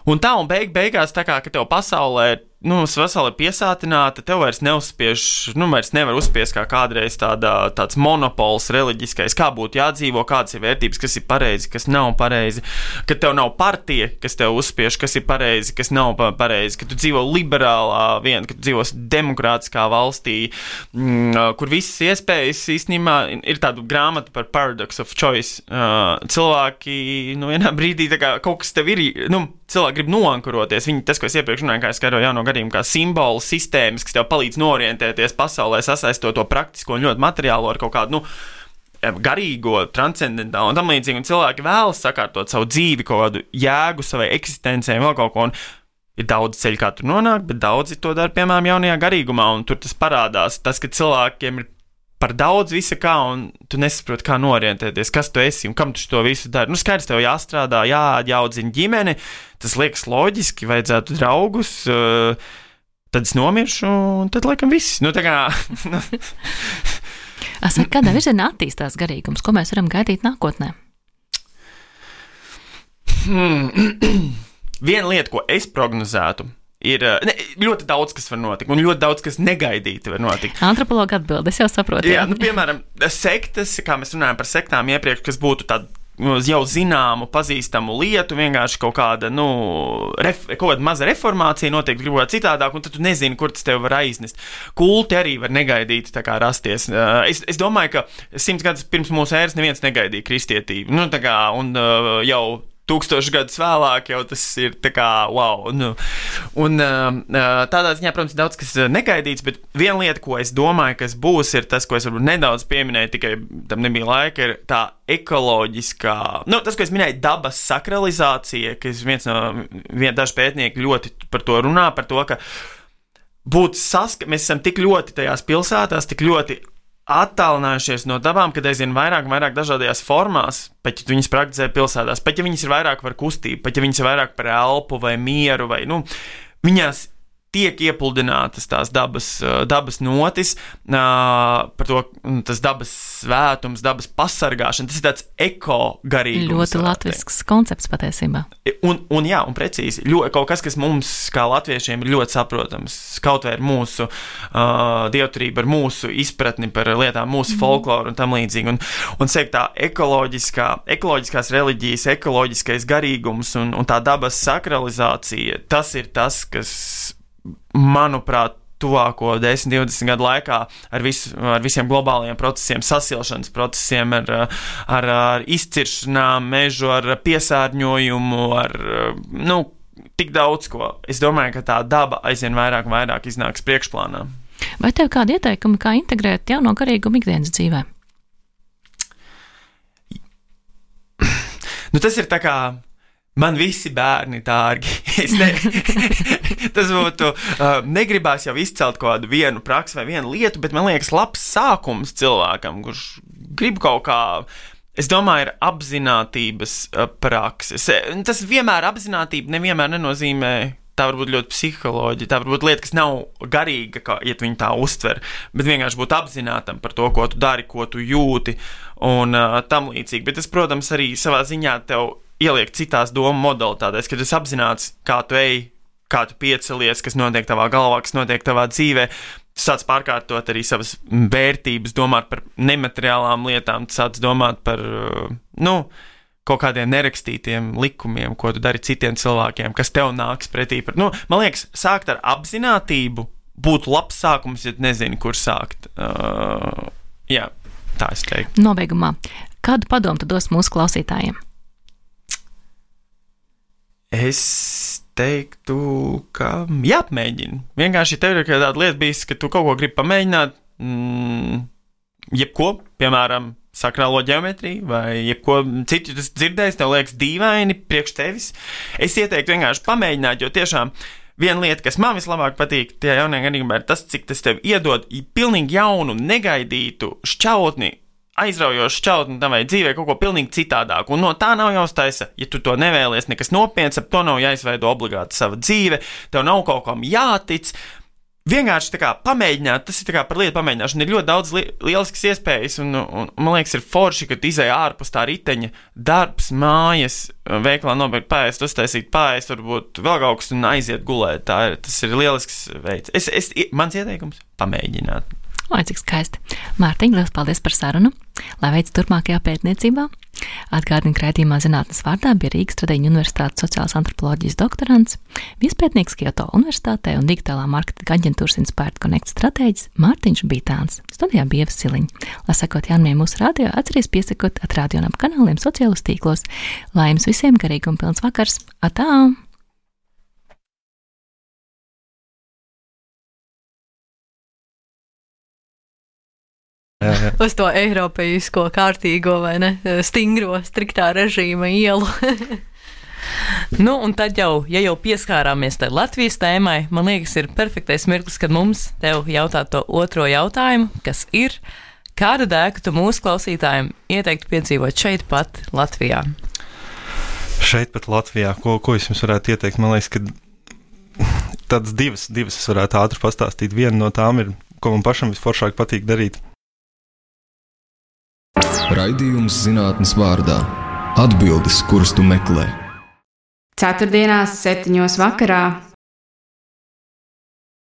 un tā, un beig, beigās tā kā, ka tev pasaulē, nu, pasaulē piesātināta, tev vairs neuzspiež, nu, vairs nevar uzspiest kā kādreiz tāda, tāds monopols reliģiskais, kā būtu jādzīvo, kādas ir vērtības, kas ir pareizi, kas nav pareizi, ka tev nav partija, kas tev uzspiež, kas ir pareizi, kas nav pareizi, ka tu dzīvo liberālā vien, ka tu dzīvo demokrātiskā valstī, mm, kur visas iespējas īstenībā ir tāda grāmata par paradox of choice. Uh, cilvēki, nu, vienā brīdī tā kā kaut kas tev ir, nu, cilvēki grib noankuroties. Viņi, tas, ko es iepriekš runāju, kā es skaidroju jauno gadījumu, kā simbolu sistēmas, kas tev palīdz norientēties pasaulē, sasaistot to praktisko un ļoti materiālo ar kaut kādu, nu, garīgo, transcendentālu un tam līdzīgi. Un cilvēki vēlas sakārtot savu dzīvi, kaut kādu jēgu savai eksistencei, vēl kaut ko. Un ir daudz ceļu, kā tur nonākt, bet daudzi to dara, piemēram, jaunajā garīgumā, un tur tas parādās. Tas, ka cilvēkiem ir par daudz visa kā, un tu nesaproti, kā norientēties, kas tu esi un kam tu to visu dari. Nu, skaidrs, tev jāstrādā, jāaudzina ģimene, tas liekas loģiski, vajadzētu draugus, uh, tad es nomiršu, un tad laikam viss. Nu, tā kā... Saka, kādā virzienā attīstās garīgums, ko mēs varam gaidīt nākotnē? Hmm. Viena lieta, ko es prognozētu, ir ne, ļoti daudz, kas var notikt, un ļoti daudz, kas negaidīti var notikt. Antropologa atbilde, es jau saprotu. Jā, nu, piemēram, sektas, kā mēs runājam par sektām iepriekš, kas būtu tāda jau zināmu, pazīstamu lietu, vienkārši kaut kāda, nu, ref, kaut kāda maza reformācija notiek kaut kā citādāk, un tad tu nezini, kur tas tev var aiznest. Kulti arī var negaidīti tā kā rasties. Es, es domāju, ka simts gadus pirms mūsu ēras neviens negaidīja kristietību. Nu, tā kā, un jau tūkstoši gadus vēlāk jau tas ir tā kā wow. Nu. Un tādā ziņā, protams, daudz kas negaidīts, bet viena lieta, ko es domāju, kas būs, ir tas, ko es varbūt nedaudz pieminēju, tikai tam nebija laika, ir tā ekoloģiskā, nu, tas, ko es minēju, dabas sakralizācija, kas viens no, vien, daži pētnieki ļoti par to runā, par to, ka būt saska, mēs esam tik ļoti tajās pilsētās, tik ļoti attālinājušies no dabām, kad aizvien vairāk un vairāk dažādajās formās, pat ja viņas praktizē pilsētās, pat ja viņas ir vairāk par kustību, pat ja viņas ir vairāk par elpu vai mieru, vai, nu, viņās tiek iepuldinātas tās dabas, dabas notis, par to tas dabas svētums, dabas pasargāšana, tas ir tāds eko-garīgums. Ļoti latvisks koncepts patiesībā. Un, un jā, un precīzi, ļoti, kaut kas, kas mums kā latviešiem ir ļoti saprotams, kaut vai ar mūsu uh, dievturību, ar mūsu izpratni par lietām, mūsu mm. folkloru un tam līdzīgi. Un, un sēk tā ekoloģiskā, ekoloģiskās reliģijas, ekoloģiskais garīgums un, un tā dabas sakralizācija, tas ir tas, kas manuprāt, tuvāko desmit, divdesmit gadu laikā ar, visu, ar visiem globālajiem procesiem, sasilšanas procesiem, ar, ar, ar izciršanām, mežu, ar piesārņojumu, ar, nu, tik daudz ko. Es domāju, ka tā daba aizvien vairāk un vairāk iznāks priekšplānā. Vai tev kādi ieteikumi, kā integrēt jauno garīgumu ikdienas dzīvē? Nu, tas ir tā kā man visi bērni dārgi. Es ne, tas būtu, uh, negribās jau izcelt kaut kādu vienu praksi vai vienu lietu, bet man liekas labs sākums cilvēkam, kurš grib kaut kā, es domāju, ir apzinātības uh, prakses. Tas vienmēr apzinātība nevienmēr nenozīmē, tā varbūt ļoti psiholoģija, tā varbūt lieta, kas nav garīga, kā, ja tu viņu tā uztver, bet vienkārši būt apzinātam par to, ko tu dari, ko tu jūti un uh, tam līdzīgi. Bet tas, protams, arī savā ziņā tev ieliek citās domu modalitātēs, kad tu apzināts, kā tu ej, kā tu piecelies, kas notiek tavā galvā, kas notiek tavā dzīvē, tu sāc pārkārtot arī savas vērtības, domāt par nemateriālām lietām, tu sāc domāt par, nu, kaut kādiem nerakstītiem likumiem, ko tu dari citiem cilvēkiem, kas tev nāks pretī. Par, nu, man liekas, sākt ar apzinātību būtu labs sākums, ja nezini, kur sākt. Uh, jā, tā es teiktu. Nobeigumā, kādu padomu tu dos mūsu klausītājiem? Es teiktu, ka jāpamēģina. Vienkārši tev ir tāda lieta bijis, ka tu kaut ko gribi pamēģināt, mm, jebko, piemēram, sakrālo ģeometriju vai jebko citu tas dzirdējis, tev liekas dīvaini priekš tevis. Es ieteiktu vienkārši pamēģināt, jo tiešām viena lieta, kas man vislabāk patīk tajā jaunajā garīgumā, ir tas, cik tas tev iedod pilnīgi jaunu, negaidītu šķautni, aizraujošu šķautni tam vai dzīvē kaut ko pilnīgi citādāku, un no tā nav jāuztaisa, ja tu to nevēlies nekas nopietns, ap to nav jāizveido obligāti sava dzīve, tev nav kaut kam jātic, vienkārši tā kā pamēģināt, tas ir tā kā par lietu pamēģināšanu, ir ļoti daudz li lieliskas iespējas, un, un, un man liekas, ir forši, ka tu izēj ārpus tā riteņa, darbs, mājas, veikalā nopirkt pārēst, uztaisīt pārēst, varbūt vēl kaut kas un aiziet gulēt, tā ir, tas ir lielisks veids. Es, es, mans ieteikums - pamēģināt. Oi, cik skaisti. Mārtiņ, liels paldies par sarunu. Lai veids turpmākajā pētniecībā. Atgādinu, ka raidījumā Zinātnes vārdā bija Rīgas Tradiņu universitātes sociālās antropoloģijas doktorants, viespētnieks Kyoto universitātē un digitālā marketinga aģentūras Inspired Connect stratēģis Mārtiņš Bītāns. Studijā bija Ieva Siliņa. Lai sekot jaunumiem mūsu radio, atceries piesakot at radionam kanāliem sociālos tīklos. Lai jums visiem garīguma pilns vakars. Atā! Uz to eiropeisko kārtīgo vai ne, stingro, striktā režīma ielu. Nu, un tad jau, ja jau pieskārāmies tai Latvijas tēmai, man liekas, ir perfektais mirklis, kad mums tev jautāt to otro jautājumu, kas ir, kādu dēku tu mūsu klausītājiem ieteiktu piedzīvot šeit pat Latvijā? Šeit pat Latvijā, ko, ko es jums varētu ieteikt? Man liekas, ka tādas divas, divas es varētu ātri pastāstīt. Viena no tām ir, ko man pašam visforšāk patīk darīt. Raidījums Zinātnes vārdā - atbildes, kuras tu meklē. Ceturtdienās, septiņos vakarā